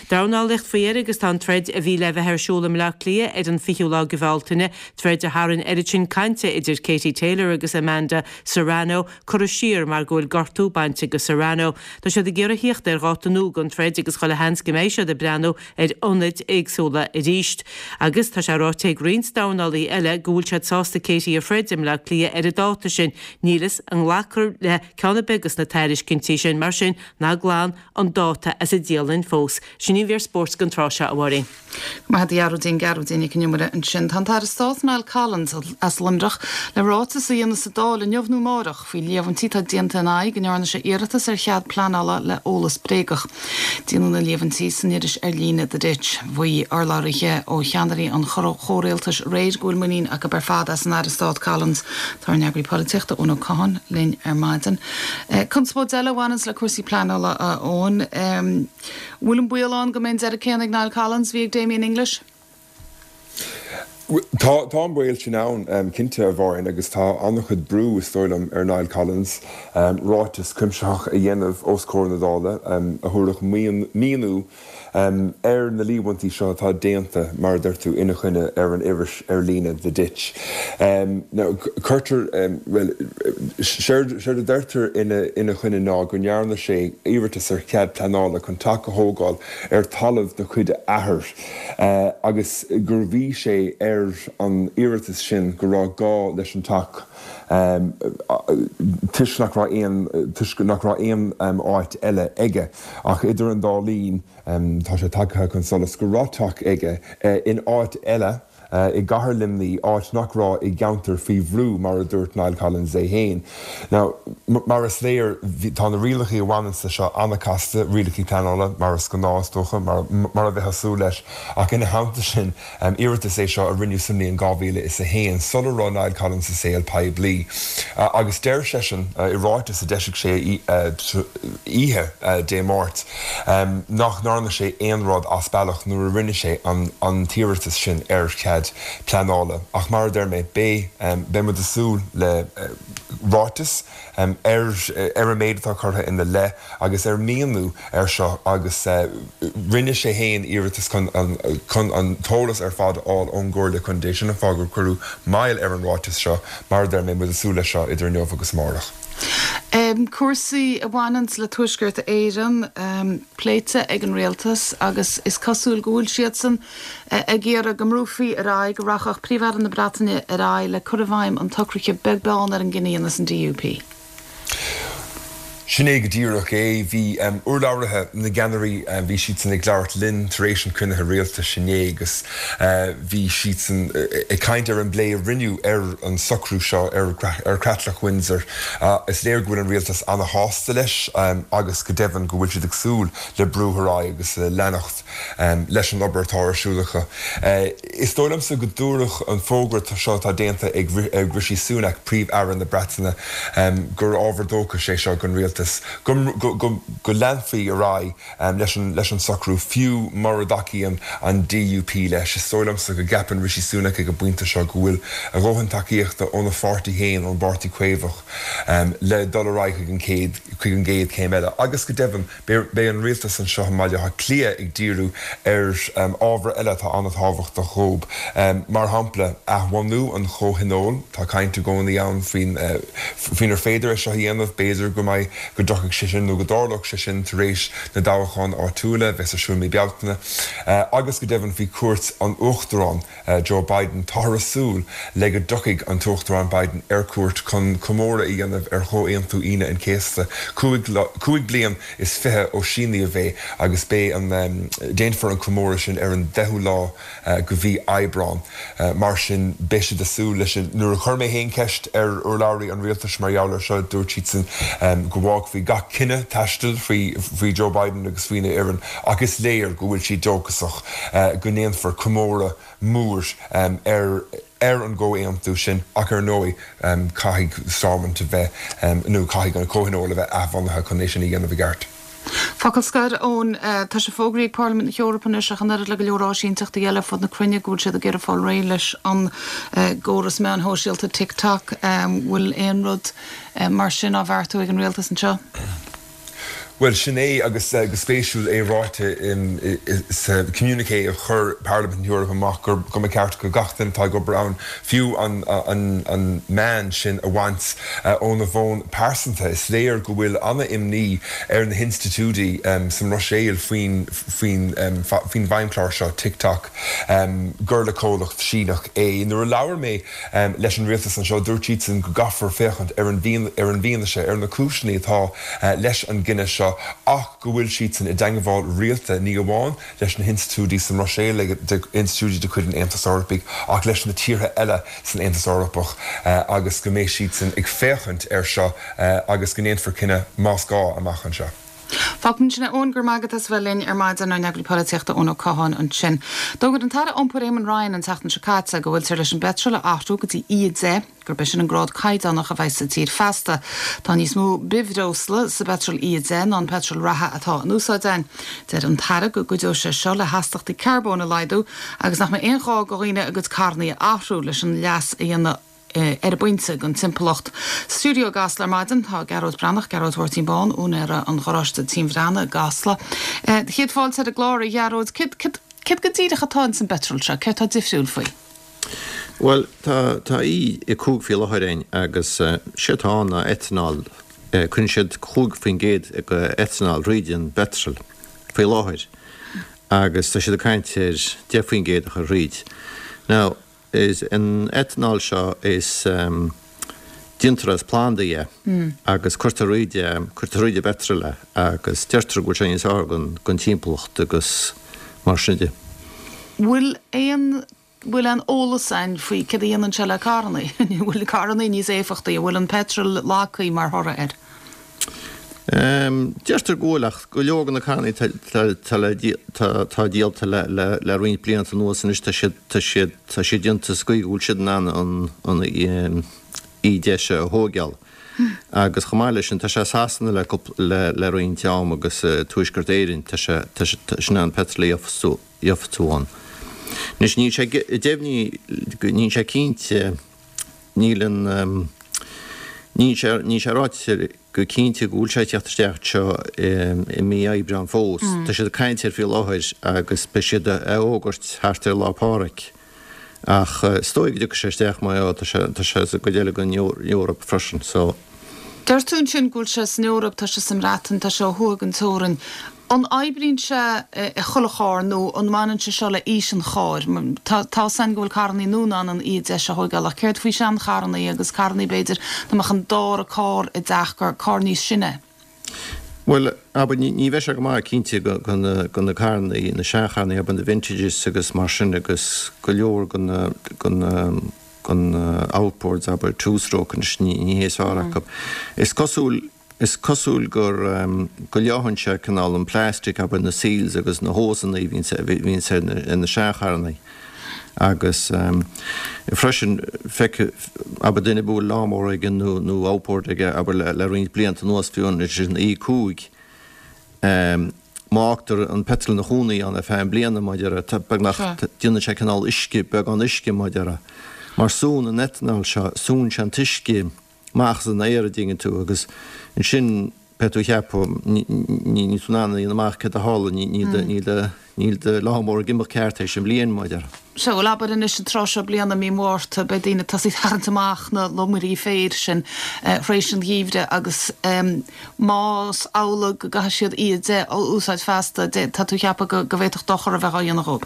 Dornálaíocht faoi dheireadh agus tá an troid a bhí le bheith ar siúl i mBleá Cliath ar an fichiú lá de Bhealtaine, troid a tharraing oiread sin cainte idir Katie Taylor agus Amanda Serrano, curtha siar mar go bhfuil gortú bainte go Serrano. Tá siad ag iarraidh thíocht ar dháta nua don troid agus chuile sheans go mbeidh siad ag breathnú ar ionaid éagsúla arís. Agus tá sé ráite ag roinnt dornálaí eile go bhfuil siad sásta Katie a throid i mBleá Cliath ar an dáta sin. Níl fhios an nglacfar le ceann ar bith dos na tairiscintí sin, mar sin ná glan an dáta as an dialann fós. Sin í an mhír spóirt don tráth seo, a Mháirín. Go maith agat a Ghearóidín, Gearóidín Nic an Iomaire ansin. Tá an tAire Stáit Niall Collins as Luimneach le ráiteas a dhéanamh sa Dáil inniu nó amárach faoi líomhaintí atá déanta ina aghaidh go ndearna sé iarratas ar chead pleanála le eolas bréagach. Déanadh na líomhaintí san iris ar líne The Ditch. Mhaígh urlabhraithe ó cheannairí an chomhrialtais aréir go bhfuil muinín acu ar fad as an Aire Stáit Collins. Tá ár n-eagraí polaitíochta Eoin Ó Catháin linn ar maidin. Conspóid eile a bhaineanns le cúrsaí pleanála, a Eoin. Bhfuil an baol ann go mbeidh an deireadh céanna ag Niall Collins a bhí ag Damien English? Tá, tá an baol sin ann, cinnte, a Mháirín, agus tá an-chuid brú, is dóigh liom, ar Niall Collins ráiteas cuimsitheach a dhéanamh os comhair na Dála a thabharfadh míniú ar na líomhaintí seo atá déanta, mar a deir tú, ina choinne ar an iris ar líne The Ditch. Now, cuirtear, bhuel, séard a deirtear ina choinne ná go ndearna sé iarratas ar chead pleanála chun teach a thógáil ar talamh de chuid a athar agus gur mhaígh sé ar an iarratas sin go raibh gá leis an teach toisc nach raibh aon toisc nach raibh aon áit eile aige. Ach idir an dá linn, tá sé tagtha chun solais go raibh teach aige in áit eile, i gcathair Luimnigh, áit nach raibh i gceantar faoi bhrú, mar a dúirt Niall Collins é féin. Now, mar is léir, tá na rialacha a bhaineanns leis seo an-chasta, rialacha pleanála, mar is gnáth, is dócha, mar a bheifeá ag súil leis, ach ina theannta sin, iarratas é seo a rinneadh sa mbliain dhá mhíle is a haon, sula raibh Niall Collins sa saol poiblí. Agus deir seisean, i ráiteas a d'eisigh sé oíche Dé Máirt, nach ndearna sé aon rud as bealach nuair a rinne sé an t-iarratas sin ar chead pleanála. Ach mar a deir mé, beidh, beidh muid ag súil le ráiteas ar ar an méid atá curtha ina leith agus ar mhíniú air seo agus rinne sé féin iarratas chun an chun an t-eolas ar fad a fháil ón gComhairle Contae. Sin an fáth gur cuireadh moill ar an ráiteas seo. Mar a deir mé, muid ag súil leis seo idir inniu agus amárach. Cúrsaí a bhaineanns le Tuaisceart Éireann pléite ag an Rialtas agus is cosúil go bhfuil siadsan ag iarraidh go mbrúfaí ar aghaidh, go rachadh Príomh-Aire na Breataine ar aghaidh le cur i bhfeidhm an tsocraithe beag beann ar an gcinneadh a dhéanas an DUP. Sin é go díreach é. Bhí urlabhraithe na gceannairí, bhí siadsan ag labhairt linn tar éis an chruinnithe rialtais inné agus bhí siadsan ag caint ar an bplé a rinneadh ar an socrú seo ar Chreatlach Windsor. Is léir go bhfuil an rialtas ana-shásta leis agus go deimhin go bhfuil siad ag súil le brú ar aghaidh agus le leanacht leis an obair atá ar siúl acu. Is dóigh liomsa go dtabharfadh an fógra seo atá déanta ag Rishi Sunak, Príomh-Aire na Breataine, gur ábhar dóchais é seo don rialtas go go leanfaí ar aghaidh leis an socrú, fiú mura dtacaíonn an DUP leis. Is dóigh liomsa go gceapann Rishi Sunak ag an bpointe seo go bhfuil a dhóthain tacaíochta óna pháirtí féin, ón bPáirtí Caomhach, le dul ar aghaidh chuig an gcéad chéim eile. Agus go deimhin, Beidh an rialtas anseo i mBaile Átha Cliath ag díriú ar ábhair eile atá an-tábhachtach dhóib, mar shampla athbhunú an Chomhthionóil. Tá caint i gcónaí ann faoinar féidir é seo a dhéanamh. B'fhéidir go mbeidh, go dtiocfaidh sé sin nó go dtarlódh sé sin tar éis na dtoghchán áitiúla a bheas ar siúl mí Bealtaine. Agus go deimhin faoi chuairt an Uachtaráin. Joe Biden. Táthar ag súil le go dtiocfaidh an tUachtarán Biden ar cuairt chun comóradh a dhéanamh ar Chomhaontú Aoine an Chéasta, cúig bliain is fiche ó síníodh é, agus beidh an déanfar an comóradh sin ar an deichiú lá de mhí Aibreán. Mar sin, beidh siad ag súil leis sin. Nuair a chuir mé féin ceist ar urlabhraí an rialtais mar gheall air seo, dúirt siadsan go bhfágfaí gach cinneadh taistil faoi Joe Biden agus faoina fhoireann, ach is léir go bhfuil siad dóchasach go ndéanfar comóradh mór ar ar an gcomhaontú sin ach ar ndóigh caithfidh Stormont a bheith, nó caithfidh an Comhthionól a bheith athbhunaithe chun é sin a dhéanamh i gceart. Focal scoir, Eoin, Tá sé fógraithe ag Parlaimint na hEorpa anois ach an oiread le go leor áisínteachtaí eile ar fud na cruinne go bhfuil siad ag iarraidh fáil réidh leis an gcóras meáin shóisialta TikTok. Bhfuil aon rud mar sin á bheartú ag an rialtas anseo? Bhuel, sin é, agus go spéisiúil é ráite sa communiqué a chuir Parlaimint na hEorpa amach gur go mba cheart go gach duine atá ag obair ann fiú an meán sin a bhaint óna bhfón pearsanta. Is léir go bhfuil an-imní ar na hinstitiúidí sa mBruiséil faoin faoin bhfeidhmchlár seo, TikTok, gur le comhlacht Síneach é. Nuair a labhair mé leis an rialtas anseo, dúirt siadsan go gcaithfear féachaint ar an bhfianaise, ar na cúiseanna atá leis an gcinneadh seo ach go bhfuil siadsan i dteangmháil rialta ní amháin leis na hinstitiúidí sa mBruiséil, institiúidí de chuid an Aontais Eorpaigh, ach leis na tíortha eile san Aontas Eorpach agus go mbeidh siadsan ag féachaint air seo agus go ndéanfar cinneadh más gá amach anseo. Fágfaimid ansin é, Eoin, go raibh maith agat as a bheith linn ar maidin, ár n-eagraí polaitíochta Eoin Ó Catháin ansin. D'fhógair an tAire Iompair Eamon Ryan an tseachtain seo caite go bhfuiltear leis an bpeitreal a athrú go dtí E a deich, gurb é sin an grád caighdeánach a bheidh sa tír feasta. Tá níos mó bithbhreosla sa bpeitreal E a deich ná an peitreal reatha atá in úsáid againn. Deir an tAire go gcuideoidh sé seo le hastachtaí carbóin a laghdú agus nach mbeidh aon ghá do dhaoine a gcuid carrannaí a athrú leis an leas a dhéanamh ar an bpointe don timpeallacht. Sa stiúideo i gCasla ar maidin tá Gearóid Breathnach, Gearóid Mháirtín Bán, úinéara an gharáiste Tím Bhreathnaigh i gCasla. Céad fáilte ar an gclár, a Ghearóid. Céard, céard, céard go díreach atá ins an bpeitreal seo? Céard atá difriúil faoi? Bhuel, tá, tá E a cúig faoi láthair againn agus sé atá ann ná etanol. Cuireann siad cúig faoin gcéad de etanol thríd an bpeitreal faoi láthair agus tá siad ag caint ar deich faoin gcéad a chur thríd. Now, is an etanol seo is déantar as plandaí é agus cuirtear thríd é, cuirtear thríd an bpeitreal é agus deirtear go bhfuil sé níos fearr don, don timpeallacht agus mar sin de. Bhfuil aon bhfuil aon eolas againn faoi céard a dhéanann sé le carrannaí? An bhfuil carrannaí níos éifeachtaí? An bhfuil an peitreal lagthaí mar thoradh air? Deirtear go bhfuil, ach go leor de na carrannaí atá díolta le roinnt blianta anuas anois, tá siad tá siad tá siad déanta sa gcaoi go bhfuil siad in ann an E deich seo a thóigeáil. Agus chomh maith leis sin, tá sé i Sasana le le le roinnt am agus i Tuaisceart Éireann, tá sé tá sé in ann peitreal a éifeachtú ann. Anois níl sé deimhnithe, níl sé cinnte, níl an, níl sé, níl sé ráite go cinnte go bhfuil sé ag teacht isteach anseo i mí Aibreáin fós. Tá siad ag caint air faoi láthair agus beidh siad á fhógairt thart ar Lá Pádraig. Ach is dóigh go dtiocfaidh sé isteach mar tá sé, tá sé sa gcuid eile den Eoraip freisin so. Deir tú ansin go bhfuil sé san Eoraip, tá sé sa mBreatain, tá sé ó thuaidh den teorainn. An oibríonn sé i chuile charr nó an mbaineann sé seo le aois an chairr? Tá 'fhios a'inn go bhfuil carrannaí nua in ann an E deich a thóigeáil ach céard faoi seancharrannaí agus carrannaí b'fhéidir dá mbeadh an dara carr i dteach gur carr níos sine é? Bhuel, abair, ní bheidh sé go maith cinnte do na carrannaí, na seancharrannaí, abair, na vintages agus mar sin agus go leor de na, de na, de na outboards, abair, two stroke anois, ní hé is fearr acu. Is cosúil, is cosúil gur, go leághann sé cineál an plastic, abair, na seals agus na hósanna a bhíonns, a bhíonns ar na, ar na seancharrannaí. Agus freisin, feic, abair, duine a bhfuil lawnmower aige nó, nó outboard aige, abair, le, le roinnt blianta anuas, fiú anois an E cúig, má fhágtar an peitreal ina chónaí ann ar feadh bliana, mar a déarfá, beagnach, déanann sé cineál uisce, beagán uisce, mar a déarfá. Mar súnn an ethanol seo, súnn sé an t-uisce amach as an aer, a dtuigeann tú, agus ansin beidh tú ag ceapadh, níl tú in ann a dhéanamh amach céard a tharla, níl do, níl do lawnmower ag imeacht ceart tar éis an bhliain, mar a déarfá. Sea, bhuel abair anois an tráth seo bliana, mí Mhárta, beidh daoine ag tosaí ag tarraingt amach na lomairí féir sin tar éis an gheimhridh agus más amhlaidh go gcaithfidh siad E deich a úsáid feasta, tá tú ag ceapadh go bhféadfadh dochar a bheith á dhéanamh dhóibh?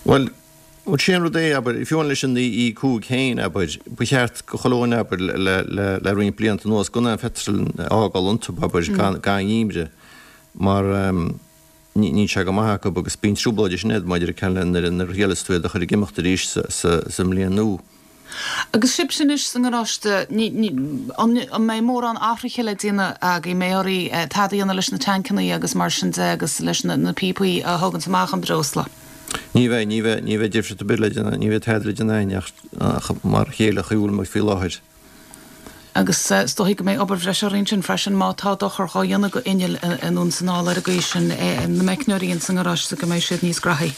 Bhuel, bhuel sé an rud é, abair, fiú amháin leis an E cúig féin, abair, ba cheart go chuile dhuine, abair, le, le, le roinnt blianta anuas gan aon pheitreal a fhágáil iontu, abair, gan, gan gheimhreadh, mar, níl sé go maith acu agus bíonn trioblóid ansin agat maidir le nuair a thriaileas tú iad a chur ag imeacht arís sa mbliain nua. Agus sibhse anois sa ngaráiste, an mbeidh mórán athruithe le déanamh agaibh? An mbeidh oraibh tada a dhéanamh leis na tancannaí agus mar sin de agus leis na píopaí a thóganns amach an breosla? Ní bheidh, ní bheidh, ní bheidh difríocht ar bith le déanamh, ní bheidh tada le déanamh againn ach mar a chéile a bhfuil muid faoi láthair. Agus is dóichí go mbeidh obair bhreise oraibh ansin freisin má tá dochar dhá dhéanamh go innill anonn is anall ar an gcaoi sin, na meicneoirí ins an ngaráiste go mbeidh siad níos graithí.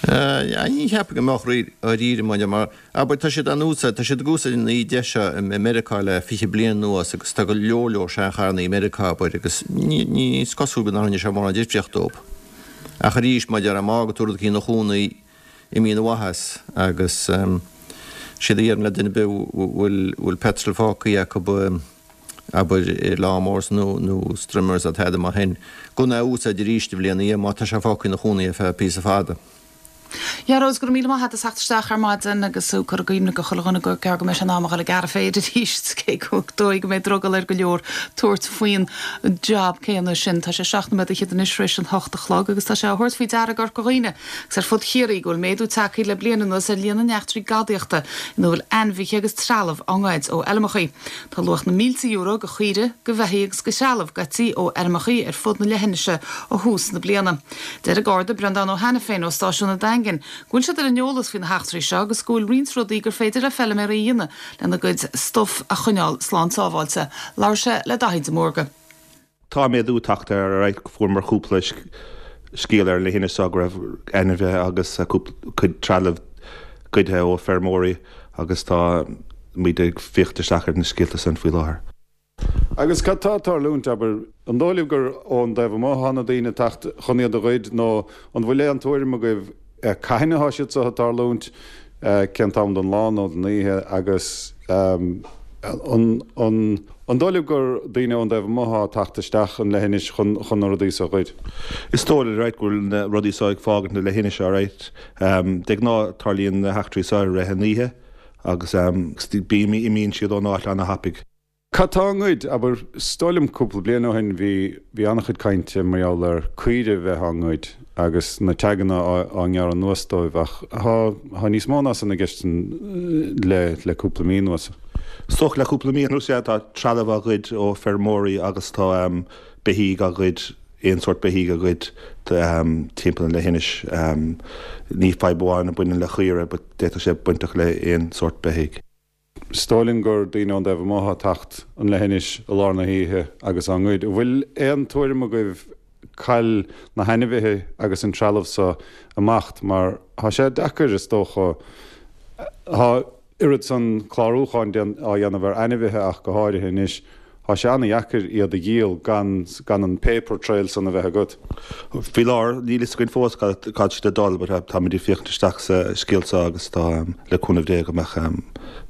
Ní cheapaim go mbeadh dáiríre maidir mar, abair, tá siad á n-úsáid, tá siad ag úsáid an E deich seo i Meiriceá le fiche bliain anuas agus tá go leor leor seancharrannaí i Meiriceá, abair, agus ní, ní is cosúil go ndearna sé mórán difríocht dóibh. Ach arís, maidir má fhágann tú rud eicínt ina chónaí, imíonn an mhaitheas agus séard a déarfainn le duine ar bith a bhfuil bhfuil petrol fágtha acu abair i lawnmowers nó nó strimmers nó tada mar shin gan é a úsáid arís an bhliain ina dhiaidh má tá sé fágtha ina chónaí ar feadh píosa fada. Gearóid, go raibh míle maith agat as theacht isteach ar maidin agus tú ag cur i gcuimhne go chuile dhuine gur gearr go mbeidh sé in am a dhul ag gearradh féir arís, cé gur dóigh go mbeidh drogall ar go leor tabhairt faoin jab céanna sin. Tá sé seacht nóiméad fhichead anois tar éis an hocht a chlog agus tá sé á thabhairt faoi deara i gCorca Dhuibhne agus ar fud Chiarraí go bhfuil méadú tagtha le bliain anuas ar líon na n-eachtraí gadaíochta ina bhfuil ainmhithe agus trealamh á ngoid ó fheilmeacha. Tá luach na mílte euro de chaoirigh, de bheithígh agus de threalamh goidte ó fheirmeacha ar fud na leithinise ó thús na bliana. Deir an Garda Breandán Ó hAiniféin ó stáisiún an Daingin go bhfuil siad ar an eolas faoi na heachtraí seo agus go bhfuil roinnt rudaí gur féidir le feilméaraí a dhéanamh lena gcuid stuif a choinneáil slán sábháilte. Labhair sé le Daithí de Mórdha. Tá méadú tagtha ar aghaidh. Fuaireamar cúpla scéal ar an leithinis seo go raibh ainmhithe agus cuid trealamh goidthe ó feirmeoirí agus tá muid ag féachaint isteach ar na scéalta san faoi láthair. Agus cad tá ag tarlúint, abair, an dóigh libh gur ón dtaobh amuigh atá na daoine ag teacht chun iad a ghoid nó an bhfuil aon tuairim agaibh cathain atá siad seo ag tarlúint, cén t-am den lá nó den oíche agus an an dóigh libh gur daoine ón dtaobh amuigh atá ag teacht isteach an leithinis chun chun na rudaí seo a ghoid? Is dóigh alright go bhfuil na rudaí seo ag fágaint na leithinise alright. De ghnáth tarlaíonn na heachtraí seo i rith an oíche agus bíonn imíonn siad ón áit ana-thapaidh. Cad tá á ngoid? Abair, is dóigh liom cúpla bliain ó shin bhí bhí an-chuid cainte mar gheall ar caoire bheith á ngoid agus na taganna á ngearradh anuas dóibh ach tá tá níos mó ná san i gceist le le cúpla mí anuas. Is dócha le cúpla mí anuas, yeah, tá trealamh á ghoid ó feirmeoirí agus tá beithígh á ghoid, aon sórt beithígh á ghoid timpeall an leithinis. Ní fadhb amháin a bhaineann le caoire but d'fhéadfadh sé bainteach le aon sórt beithígh. Is dóigh linn gur daoine ón dtaobh amuigh atá ag teacht an leithinis i lár na hoíche agus á ngoid. An bhfuil aon tuairim agaibh cá bhfuil na hainmhithe agus an trealamh so ag imeacht mar tá sé deacair is dócha. Tá oiread san clárúcháin á dhéanamh ar ainmhithe ach go háirithe anois. Tá sé an-dheacair iad a dhíol gan gan an paper trail san a bheith agat. Faoi láthair, níl fhios againn fós cá bhfuil siad ag dul but táimid ag féachaint isteach sa scéal seo agus tá le cúnamh Dé go mbeadh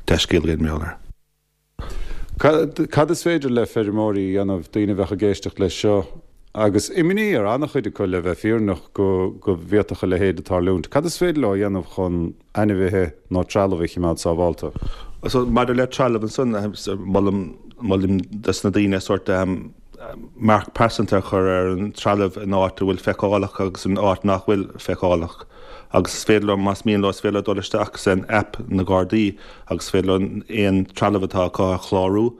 dea-scéal againn mar gheall air. Cad is féidir le feirmeoirí a dhéanamh, daoine a bheadh ag éisteacht leis seo agus imní ar an-chuid acu le bheith fírinneach go go bhféadfadh a leithéid a tarlúint. Cad is féidir leo a dhéanamh chun ainmhithe nó trealamh a chimeád sábhálta? So maidir le trealamh ansan, molaim molaim dos na daoine sórt marc pearsanta a chur ar an trealamh in áit a bhfuil feiceálach agus in áit nach bhfuil feiceálach. Agus is féidir leo, más mian leo, is féidir leo dul isteach san app na Gardaí agus is féidir leo aon trealamh atá acu a chlárú.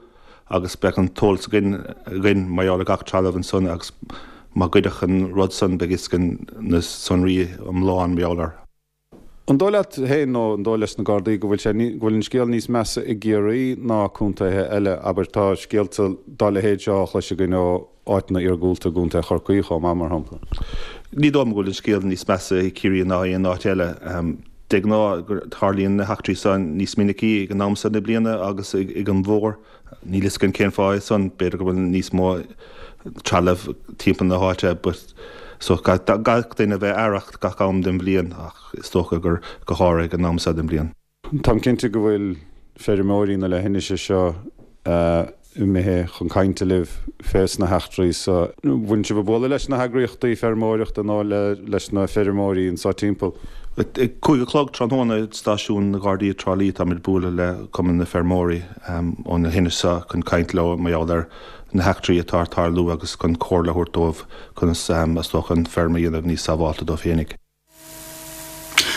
agus beidh an t-eolas againn againn mar gheall ar gach trealamh ansan agus má goideadh an rud san beidh fhios againn na sonraí iomlán mar gheall air. An dóigh leat féin nó an dóigh leis na Gardaí go bhfuil sé go bhfuil an scéal níos measa i gCiarraí ná contaetha eile? Abair, tá scéalta dá leithéid seo á chlois againn ó áiteanna iargúlta i gContae Chorcaí chomh maith, mar shampla. Ní dóigh liom go bhfuil an scéal níos measa i gCiarraí ná aon áit eile. De ghnáth, tarlaíonn na heachtraí seo níos minicí ag an am seo na bliana agus ag an bhfómhar. Níl fhios againn cén fáth é san, b'fhéidir go bhfuil níos mó trealamh timpeall na háite but so gach duine a bheith aireach gach am den bhliain ach is dócha gur go háirithe ag an am seo den bhliain. Táim cinnte go bhfuil feirmeoirí na leithinise seo imithe chun cainte libh fés na heachtraí so. Bhfuil sibh ag bualadh leis na heagraíochtaí feirmeoireachta nó leis na feirmeoirí anso timpeall? Ag cúig a chlog tráthnóna i stáisiún na Gardaí i dTrá Lí táimid ag bualadh le Cumann na Feirmeoirí ón leithinis seo chun caint leo mar gheall ar na heachtraí atá ag tarlú agus chun comhairle a thabhairt dóibh conas is dócha an feirm a dhéanamh níos sábháilte dóibh féinig.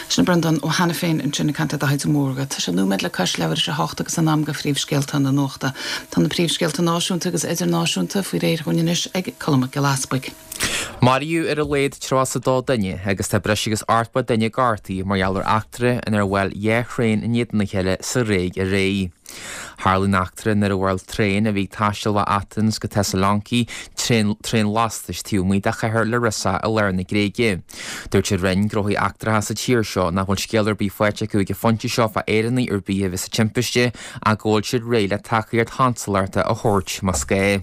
Sin Breandán Ó hAiniféin ansin ag caint le Daithí de Mórdha. Tá sé nóiméad le cois leathuair tar éis a hocht agus in am do phríomhscéalta na nuachta. Tá na príomhscéalta náisiúnta agus idirnáisiúnta faoi réir dhúinn anois ag Colm Mac Giolla Easpaig. Maraíodh ar a laghad tríocha is a dó duine agus tá breis agus ochtó duine gortaithe mar gheall ar eachtra inar bhuail dhá thraein in éadan a chéile sa Ghréig aréir. Tharla an eachtra nuair a bhuail traein a bhí ag taisteal ó Athens go Thessaloniki traein lastais taobh amuigh de chathair Larissa i lár na Gréige. Dúirt an Roinn Gnóthaí Eachtracha sa tír seo nach bhfuil scéal ar bith faighte acu ag an phointe seo fá Éireannaigh ar bith a bhí sa timpiste ach go bhfuil siad réidh le tacaíocht chonsalachta a thabhairt más gá.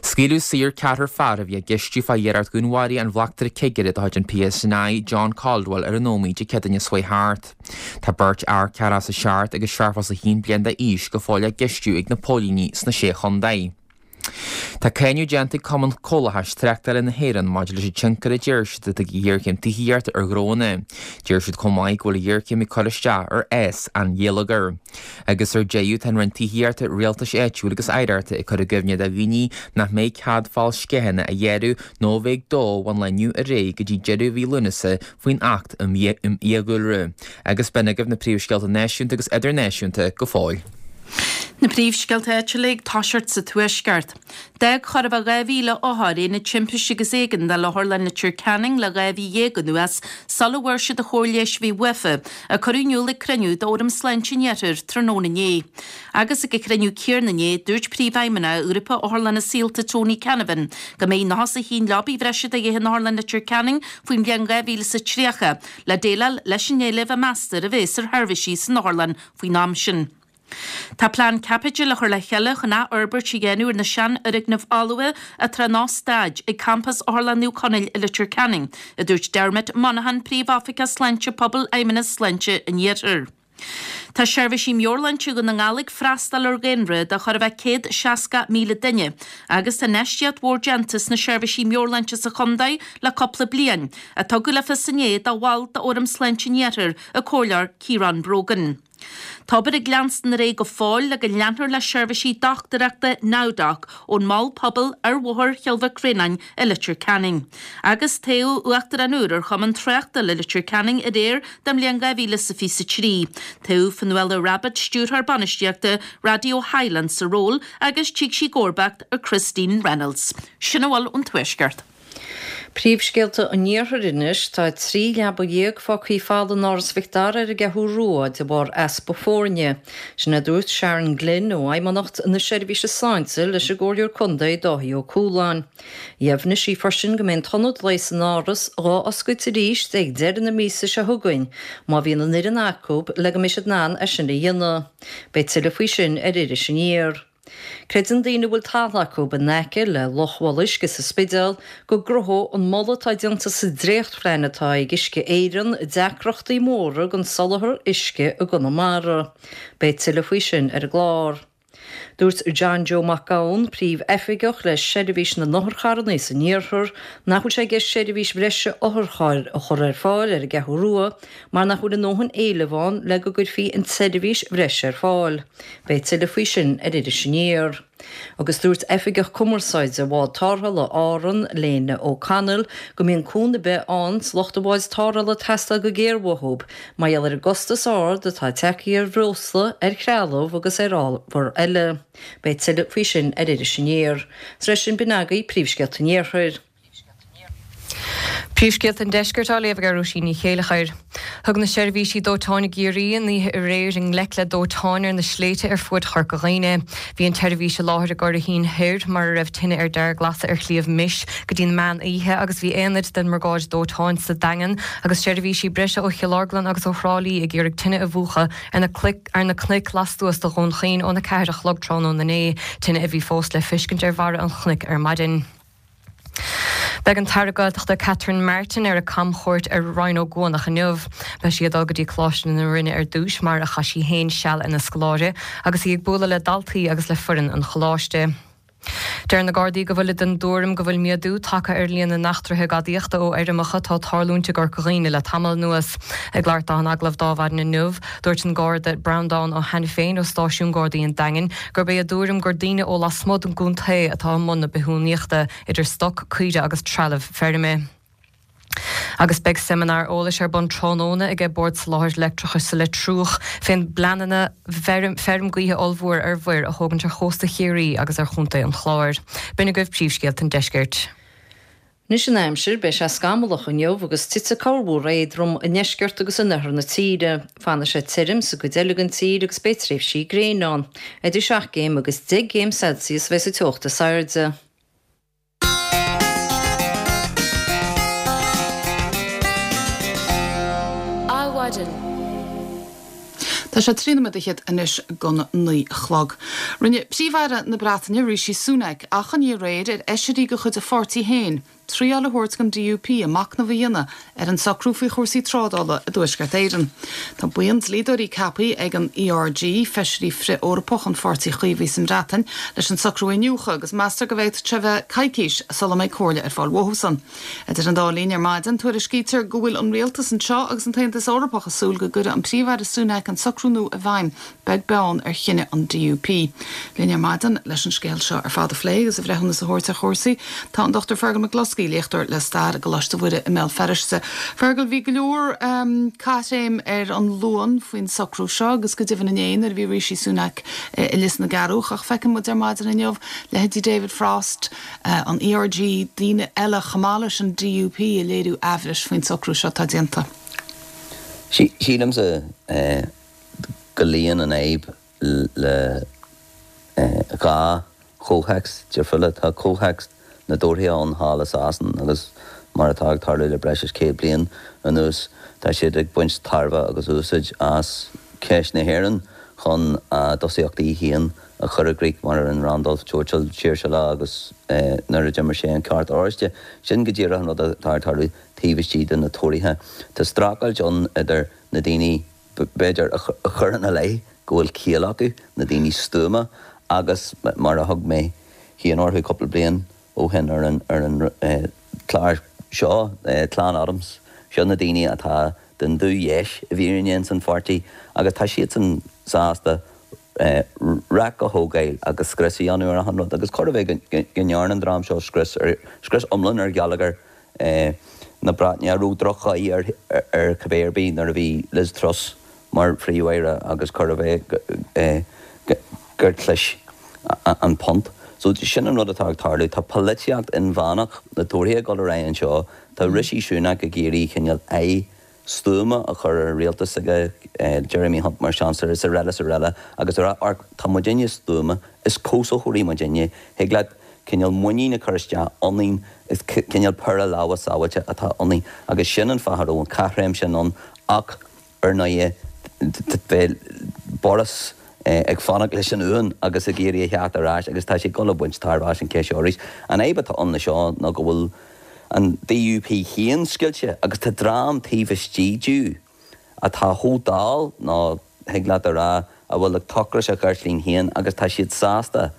Scaoileadh saor ceathrar fear a bhí á gceistiú fá iarracht dhúnmharaithe an bhleachtaire cigire de chuid an PSNI, John Caldwell, ar an Ómaigh Dé Céadaoine seo chuaigh thart. Tá beirt fhear ceathracha is a seacht agus seachtó is a haon bliain d'aois go fóill á gceistiú ag na póilíní sna Sé Chontae. Tá cáineadh déanta ag Cumann Comhlachais Tráchtála na hÉireann maidir leis an tionchar a deir siad atá ag an ghéarchéim tithíochta ar ghnóanna. Deir siad chomh maith go bhfuil an ghéarchéim ag cur isteach ar fhás an gheilleagair. Agus ar deireadh, tá an Roinn Tithíochta, Rialtais Áitiúil agus Oidhreachta ag cur i gcuimhne do dhaoine nach mbeidh cead fál sceitheanna a ghearradh nó a bheith ag dó ón lá inniu ar aghaidh go dtí deireadh mhí Lúnasa faoin Acht um Fhiadhúlra. Agus b'in agaibh na príomhscéalta náisiúnta agus idirnáisiúnta go fóill. Na príomhscéalta áitiúla ag toiseacht sa Tuaisceart. D'fhág chóir a bheith dhá mhíle othar aonad timpiste agus éigeandála Otharlann Leitir Ceanainn le dhá mhí dhéag anuas sula bhfuair siad an chóir leighis a bhí uafa, a cuireadh in iúl ag cruinniú d'Fhóram Sláinte an Iarthair tráthnóna inné. Agus ag an chruinniú céanna inné, dúirt Príomhfheidhmeannach Ghrúpa Otharlanna Saolta Tony Canavan go mbeidh nócha is a haon leabaidh bhreise de dhíth in Otharlann Leitir Ceanainn faoin bhliain dhá mhíle is a tríocha le déileáil leis an éileamh a meastar a bheas ar sheirbhísí san otharlann faoin am sin. Tá plean caipitil á chur le chéile chun athfhorbairt a dhéanamh ar na seanfhoirgnimh fholmha atá in óstáid ag campas Otharlann Naomh Conaill i Leitir Ceanainn, a dúirt Dermot Monaghan, Príomhoifigeach Sláinte Pobail Fheidhmeannas Sláinte an Iarthair. Tá seirbhísí meabhairshláinte Dhún na nGall ag freastal ar dhaonra de chóir a bheith céad seasca míle duine agus tá infheistíocht mhór déanta sna seirbhísí meabhairshláinte sa chontae le cúpla bliain, a tugadh le fios inné do bhaill d'Fhóram Sláinte an Iarthair, an Comhairleoir Ciarán Brogan. Tá obair ag leanstan ar aghaidh go fóill le go leanfar le seirbhísí dochtúireachta NowDoc ón Mol Pobail ar Bhóthar Chill Mhic Réanáin i Leitir Ceanainn. Agus toghadh Uachtarán úr ar Chumann Tráchtála Leitir Ceanainn aréir don mbliain dhá mhíle is a fiche a trí. Toghadh Fionnuala Rabbitte, Stiúrthóir Bainistíochta Raidió Highland sa ról agus tiocfaidh sí i gcomharbacht ar Christine Reynolds. Sin a bhfuil ón Tuaisceart. Príomhscéalta an Iarthair anois, Tá trí leaba dhéag fágthaí folamh in Áras Mhic Dara ar an gCeathrú Rua de bharr easpa foirne. Sin a dúirt Sharon Glynn ó Fheidhmeannacht na Seirbhíse Sláinte leis an gComhairleoir Contae Dáithí Ó Cualáin. Dheimhnigh sí freisin go mbeidh an t-ionad leighis san Áras dhá oscailt arís ag deireadh na míosa seo chugainn má bhíonn an fhoireann acu le go mbeidh siad in ann é sin a dhéanamh. Beidh tuilleadh faoi sin ar Iris Aniar. Creideann daoine a bhfuil talamh acu in aice le Loch Mhol Uisce sa Spidéal go gcruthódh an moladh atá déanta sa dréachtphlean atá ag Uisce Éireann deacrachtaí móra don soláthar uisce i gConamara. Beidh tuilleadh faoi sin ar an gclár. Dúirt John Joe Mac Gabhann, Príomh-Oifigeach le Seirbhís na nOtharcharranna san Iarthar, nach bhfuil sé i gceist seirbhís bhreise otharchairr a chur ar fáil ar an gCeathrú Rua mar nach bhfuil a ndóthain éilimh ann le go gcuirfí an tseirbhís bhreise ar fáil. Beidh tuilleadh faoi sin ar Iris Aniar. Agus dúirt Oifigeach Cumarsáide Bhád Tarrthála Árann, Léna O'Connell, go mbíonn cúnamh ar bith ann do lucht an bháid tarrthála ag teastáil go géar uathu mar gheall ar an gcostas ard atá tagtha ar bhreosla, ar threalamh agus ar ábhar eile. Beidh tuilleadh faoi sin ar Iris Aniar. Is leis sin b'in agaibh príomhscéalta an Iarthair. Príomhscéalta an Deiscirt á léamh ag Róisín Ní Chéileachair. Thug na seirbhísí dóiteáin i gCiarraí an oíche aréir i ngleic le dóiteáin ar na sléibhte ar fuaid Chorca Dhuibhne. Bhí an tseirbhís i láthair i gCurraichín Thoir mar a raibh tine ar dearglasadh ar Shliabh Mis go dtí an meán oíche agus bhí aonaid den mBriogáid Dóiteáin sa Daingean agus seirbhísí breise ó Chill Orglan agus ó Thrá Lí ag iarraidh tine a mhúchadh ar na ar na cnoic lastuas de Dhún Chaoin óna ceathair a chlog tráthnóna inné, tine a bhí fós le feiscint ar bharra an chnoic ar maidin. Beidh an tAire Gaeltachta Catherine Martin ar a camchuairt ar Rinn Ó gCuanach inniu. Beidh sí ag dul go dtí Coláiste na Rinne ar dtús, mar a chaith sí féin seal ina scoláire, agus í ag bualadh le daltaí agus le foireann an choláiste. Deir na Gardaí go bhfuilid den dtuairim go bhfuil méadú tagtha ar líon na n-eachtraithe gadaíochta ó fheirmeacha atá ag tarlúint i gCorca Dhuibhne le tamall anuas. Ag labhairt dó in agallamh d'Adhmhaidin inniu, dúirt an Garda Breandán Ó hAiniféin ó Stáisiún Gardaí an Daingin gurb é a dtuairim gur daoine ó lasmuigh den gcontae atá i mbun na bithiúnaíochta, idir stoc, caoire agus trealamh feirme. Agus beidh seimineár eolais ar bun tráthnóna aige Bord Soláthair Leictreachais sa Leitriúch fén bpleananna feirm gaoithe ollmhór ar mhuir a thógaint ar chósta Chiarraí agus ar Chontae an Chláir. B'in agaibh príomhscéalta an deiscirt. Anois an aimsir, beidh sé scamallach inniu agus titfidh corrmhúr éadrom i ndeisceart agus in oirthear na tíre. Fanfaidh sé tirim sa gcuid eile den tír agus beidh tréimhsí gréine ann. Idir seacht gcéim agus deich gcéim Celsius a bheidh sa teocht is airde. Adhmhaidin. Tá sé trí nóiméad fhichead anois don naoi a chlog. Rinne Príomh-Aire na Breataine, Rishi Sunak, achainí aréir ar fheisirí de chuid a pháirtí féin triail a thabhairt don DUP a machnamh a dhéanamh ar an socrú faoi chúrsaí trádála i dTuaisceart Éireann. Tá buíon dlíodóirí ceaptha ag an ERG, feisirí frith-Eorpach an Pháirtí Chaomhaigh sa mBreatain, leis an socrú a iniúchadh agus meastar go bhféadfadh sé bheith coicís sula mbeidh comhairle ar fáil uathusan. Idir an dá linn ar maidin, tuairiscítear go bhfuil an rialtas anseo agus an tAontas Eorpach ag súil go gcuirfidh an Príomh-Aire Sunak an socrú nua i bhfeidhm, beag beann ar chinneadh an DUP. Linn ar maidin leis an scéal seo ar fad a phlé agus a bhreithiúnas a thabhairt ar chúrsaí tá an Dr Fergal McCluskey, léachtóir le stair i gColáiste Mhuire i mBéal Feirste. Fergal, bhí go leor caithréim ar an Luan faoin socrú seo agus go deimhin inné nuair a bhí Rishi Sunak i Lios na gCearrbhach ach feiceann muid ar maidin inniu leithéidí David Frost, an ERG, daoine eile chomh maith leis an DUP ag léiriú aimhris faoin socrú seo atá déanta. Sílimse go luíonn an fhadhb le dhá chomhthéacs difriúla. Tá comhthéacs na dTóraithe ann thall i Sasain agus mar atá ag tarlú le breis is céad bliain anuas, tá siad ag baint tairbhe agus úsáid as ceist na hÉireann chun a dtosaíochtaí féin a chur i gcrích, mar a rinne Randolph Churchill siar sa lá agus nuair a d'imir sé an Ceart Oráiste. Sin go díreach an rud atá ag tarlú taobh istigh de na Tóraithe. Tá streachailt ann idir na daoine, b'fhéidir, a chuireann i leith go bhfuil ciall acu, na daoine stuama, agus mar a thug mé féin orthu cúpla bliain ó shin ar an chlár seo, Clann Adams. Seo na daoine atá den dúdheis i bhfírinne ins an pháirtí agus tá siadsan sásta raic a thógáil agus scrios a dhéanamh ar achan rud agus chóir a bheith go ndearna an dream seo scrios ar scrios iomlán ar gheilleagar na Breataine a raibh droch-cháil ar ar cibé ar bith nuair a bhí Liz Truss mar Phríomh-Aire agus chóir a bheith gur chlis an punt. So sin an rud atá ag tarlú. Tá polaitíocht inmheánach na Tóraithe ag dul ar aghaidh anseo. Tá Rishi Sunak ag iarraidh cineál aghaidh stuama a chur ar an rialtas aige, Jeremy Hunt mar Chancellor is araile is araile agus a rá amharc, tá muidinne stuama, is cobhsaitheoirí muidinne, thig leat cineál muinín a chur isteach ionainn, is cineál péire lámha sábháilte atá ionainn agus sin an fáth a raibh an caithréim sin ann ach ar ndóighe beidh Boris ag fanacht leis an uan agus ag iarraidh a theacht ar ais agus tá sé ag dul a bhaint tairbhe as an cheist seo arís. An fhadhb atá ann leis seo ná go bhfuil an DUP féin scoilte agus tá dream taobh istigh díobh atá chomh dall nó thig leat a rá a bhfuil ag tochras a gceirtlín féin agus tá siad sásta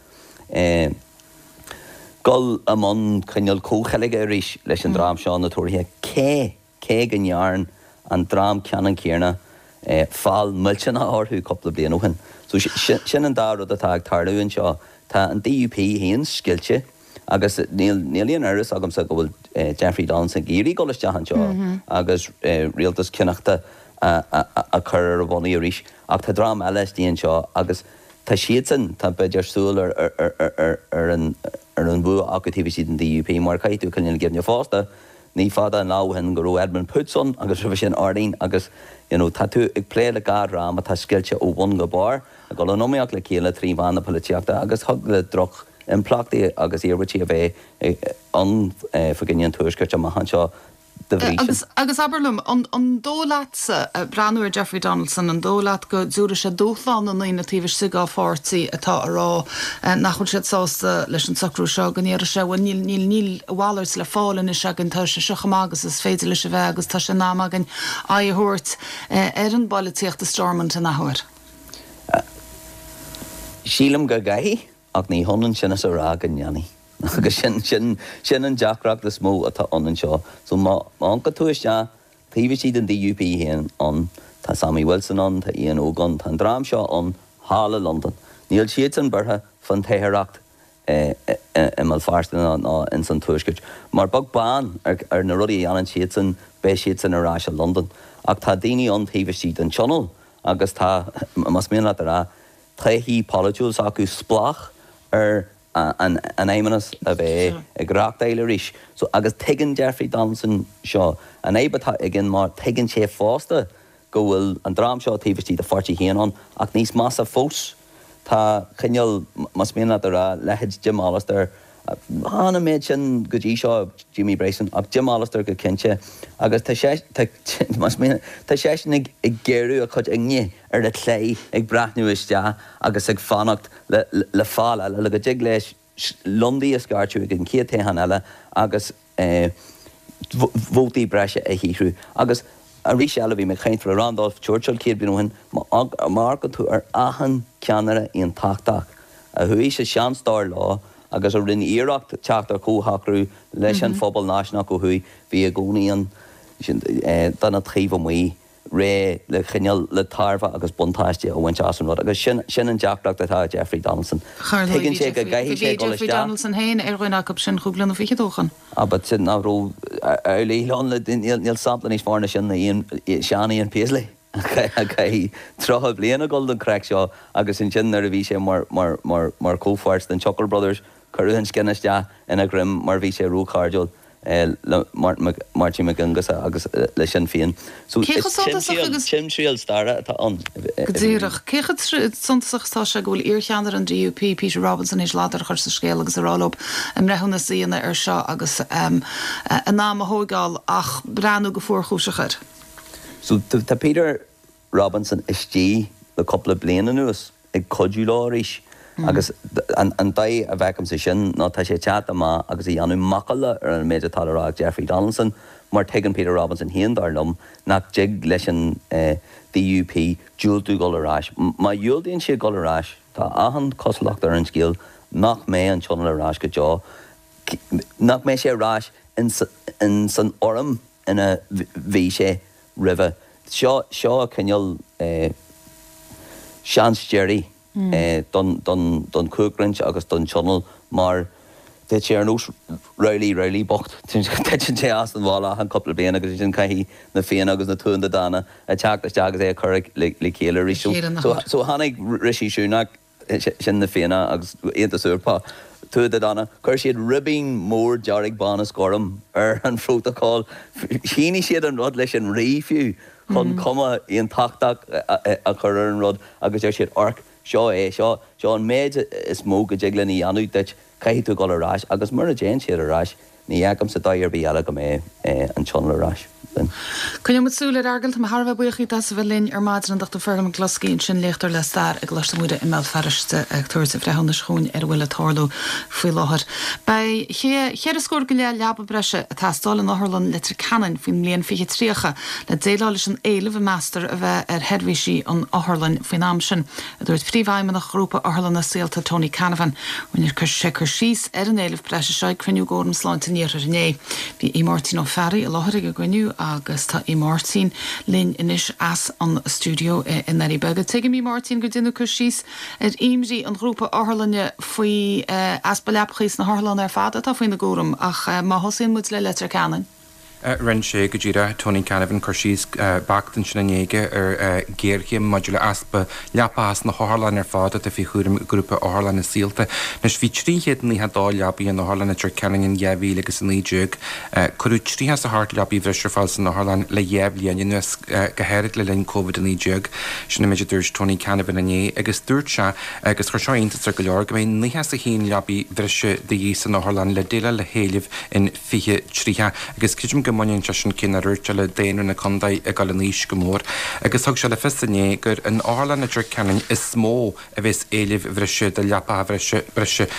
dul i mbun cineál comhcheilge arís leis an dream seo, na Tóraithe, cé cé go ndearn an dream ceannann céanna feall millteanach orthu cúpla bliain ó shin. So sin an dá rud atá ag tarlú anseo. Tá an DUP féin scoilte agus níl níl aon amhras agamsa go bhfuil Jeffrey Donaldson ag iarraidh dul isteach anseo agus rialtas cineachta a chur ar a bhonnaí arís ach tá dream eile istigh anseo agus tá siadsan, tá b'fhéidir súil ar ar ar an ar an bhua acu taobh istigh den DUP mar caithfidh tú coinneáil i gcuimhne fosta ní fada an lá ó shin go raibh Edmund Poots ann agus roimhe sin Ardeen agus you know tá tú ag plé le dhá dhream atá scoilte ó bhun go barr ag dul in iomaíocht le chéile trí mheán na polaitíochta agus thig le droch impleachtaí agus iarmhairtí a bheith ann fá choinne an Tuaiscirt amach anseo de bhrí sin. Agus abair liom, an dóigh leatsa, breathnú ar Jeffrey Donaldson, an dóigh leat go dtabharfaidh sé dúshlán na ndaoine taobh istigh dá pháirtí atá a rá nach bhfuil siad sásta leis an socrú seo, go ndéarfaidh sé, bhuel níl, níl, níl a mhalairt le fáil anois againn, tá sé seo chomh maith agus is féidir leis a bheith agus tá sé in am againn aghaidh a thabhairt ar an bpolaitíocht i Stormont in athuair? Sílim go gcaithfidh, ach ní hionann sin is a rá go ndéanfaidh. Agus sin, sin, sin an deacracht is mó atá ann anseo. So má, má amharcann tú isteach taobh istigh den DUP féin ann, tá Sammy Wilson ann, tá Ian Óg ann, tá an dream seo ann thall i Londain. Níl siadsan buartha fán toicheoireacht i mBéal Feirste ná, ná ins an Tuaisceart. Mar beag beann ar, ar na rudaí a dhéanann siadsan, beidh siadsan ar ais i Londain. Ach tá daoine ann taobh istigh den Tionól agus tá, más mian leat a rá, taithí pholaitiúil s'acu spleách ar an Fheidhmeannas a bheith ag reachtáil arís. So, agus tuigeann Jeffrey Donaldson seo. An fhadhb atá aige mar tuigeann sé fosta go bhfuil an dream seo taobh istigh dá pháirtí féin ann ach níos measa fós tá cineál, más mian leat a rá, leithéid Jim Allister, Chan an méid sin go dtí seo, Jamie Bryson, ach Jim Allister go cinnte. Agus tá sé, tá, más mian, tá seisean ag, ag géarú a chuid ingne ar a chlé, ag breathnú isteach agus ag fanacht le, le fál eile, le go dtig leis liondaí a scairteadh ag an chéad toghchán eile agus eh, vótaí breise a shaothrú. Agus arís eile, bhí mé ag caint le Randolph Churchill céad bliain ó shin, má amharcann tú ar achan ceannaire aontachtach a chuaigh sa seans dar leo agus a rinne iarracht teacht ar chomhshocrú leis an phobal náisiúnach ó thuaidh, bhí i gcónaí an duine taobh amuigh réidh le cineál, le tairbhe agus buntáiste a bhaint as an rud. Agus sin, sin an deacracht atá ag Jeffrey Donaldson. Ar ndóigh Tuigeann bhí sé go Jeffrey, gcaithfidh bhí sé dul Jeffrey isteach. Donaldson féin ar dhuine acu sin cúig bliana fichead ó shin. Ah, but sin nach raibh amhlaidh ann le, níl, níl sampla níos fearr ná sin ná Ian, sean Ian Paisley a chaith tríocha bliain ag dul don chraic seo agus ansin nuair a bhí sé mar, mar, mar, mar chomhpháirt den Chuckle Brothers cuireadh an scian isteach ina dhroim mar bhí sé róchairdiúil. le Máirtín Mac Aonghusa agus le Sinn Féin. So Cé is chomh suntasach timthriall, agus. timthriall staire atá ann. Go díreach. Cé chomh suntasach is atá sé go bhfuil iarcheannaire an DUP, Peter Robinson, théis ladar a chur sa scéal agus a rá leo a mbreithiúnas a dhéanamh air seo agus a n-am a thóigeáil ach breathnú go fuarchúiseach air. So tá Peter Robinson istigh le cúpla bliain anuas ag cuidiú leo arís agus an dóigh a bhfeicimse sin ná tá sé ag teacht amach agus ag déanamh macalla ar an méid atá le rá ag Jeffrey Donaldson mar tuigeann Peter Robinson féin, dar liom, nach dtig leis an DUP diúltú dul ar ais. Má dhiúltaíonn siad dul ar ais, tá achan chosúlacht ar an scéal nach mbeidh an Tionól ar ais go deo, nach mbeidh sé ar ais in san fhoirm ina bhí sé roimhe. Seo seo cineál seans deiridh don don don chumhachtroinnt agus don Tionól mar tá sé ar nós Rowley Rowley bocht. Titeann sé as an bhalla achan cúpla bliain agus ansin caithfidh na Fianna agus na Tuatha Dé Danann a teacht isteach agus é a chur le chéile arís. So tháinig Rishi Sunak, sin na Fianna agus Aontas Eorpach, Tuatha Dé Danann, chuir siad ribín mór dearg bán is gorm ar an phrótacal. Shínigh siad an rud leis an rí fiú chun cuma aontachtach a chur ar an rud agus deir siad amharc, seo é, seo, seo an méid is mó go dtig linn a dhéanamh duit, caithfidh tú dul ar ais agus mura dtéann siad ar ais, ní fheicimse dóigh ar bith eile go mbeidh an Tionól ar ais linn. Coinneoidh muid súil air, a Fheargail. Tá mé thar a bheith buíoch díot as a bheith linn ar maidin, an Dochtúir Fergal McCloskey ansin, léachtóir le stair i gColáiste Mhuire i mBéal Feirste, ag tabhairt a bhreithiúnais chugainn ar a bhfuil ag tarlú faoi láthair. Beidh cheithre scór go leith leaba breise ag teastáil in Otharlann Leitir Ceanainn faoin mbliain fiche tríocha le déileáil leis an éileamh a meastar a bheith ar sheirbhísí an otharlainn faoin am sin, a dúirt Príomhfheidhmeannach Ghrúpa Otharlanna Saolta Tony Canavan. Rinne sé cur síos ar an éileamh breise seo ag cruinniú d'Fhóram Sláinte an Iarthair inné. Bhí Aodh Máirtín Ó Fearraigh i láthair ag an gcruinniú agus tá Aodh Máirtín linn anois as an stiúideo i nDoirí Beaga. Tuigim, a Mháirtín, gur deineadh cur síos ar imní an ghrúpa otharlainne faoi easpa leapachaí sna hotharlanna ar fad atá faoina gcúram ach má thosaíonn muid le Leitir Ceanainn. Rinne sé go díreach, Tony Canavan, cur síos beacht ansin inné aige ar ghéarchéim maidir le easpa leapacha sna hotharlanna ar fad atá faoi chúram Ghrúpa Otharlanna Saolta. Anois bhí trí chéad naocha dó leabaí in Otharlann Leitir Ceanainn in dhá mhíle agus a naoi déag. Cuireadh tríocha is a hocht leabaí bhreise ar fáil san otharlann le dhá bhliain anuas, go háirid le linn Covid a naoi déag. Sin an méid a dúirt Tony Canavan inné agus dúirt sé, agus chuir seo iontas ar go leor, go mbeidh naocha is a haon leabaí bhreise de dhíth san otharlann le déileáil le héileamh in fiche tríocha agus creidim go mbaineann sé sin cé nár dhúirt sé le daonra na contae ag dul in aois go mór agus thug sé le fios inné gur in Otharlann Leitir Ceanainn is mó a bheas éilimh bhreise do leapacha bhreise breise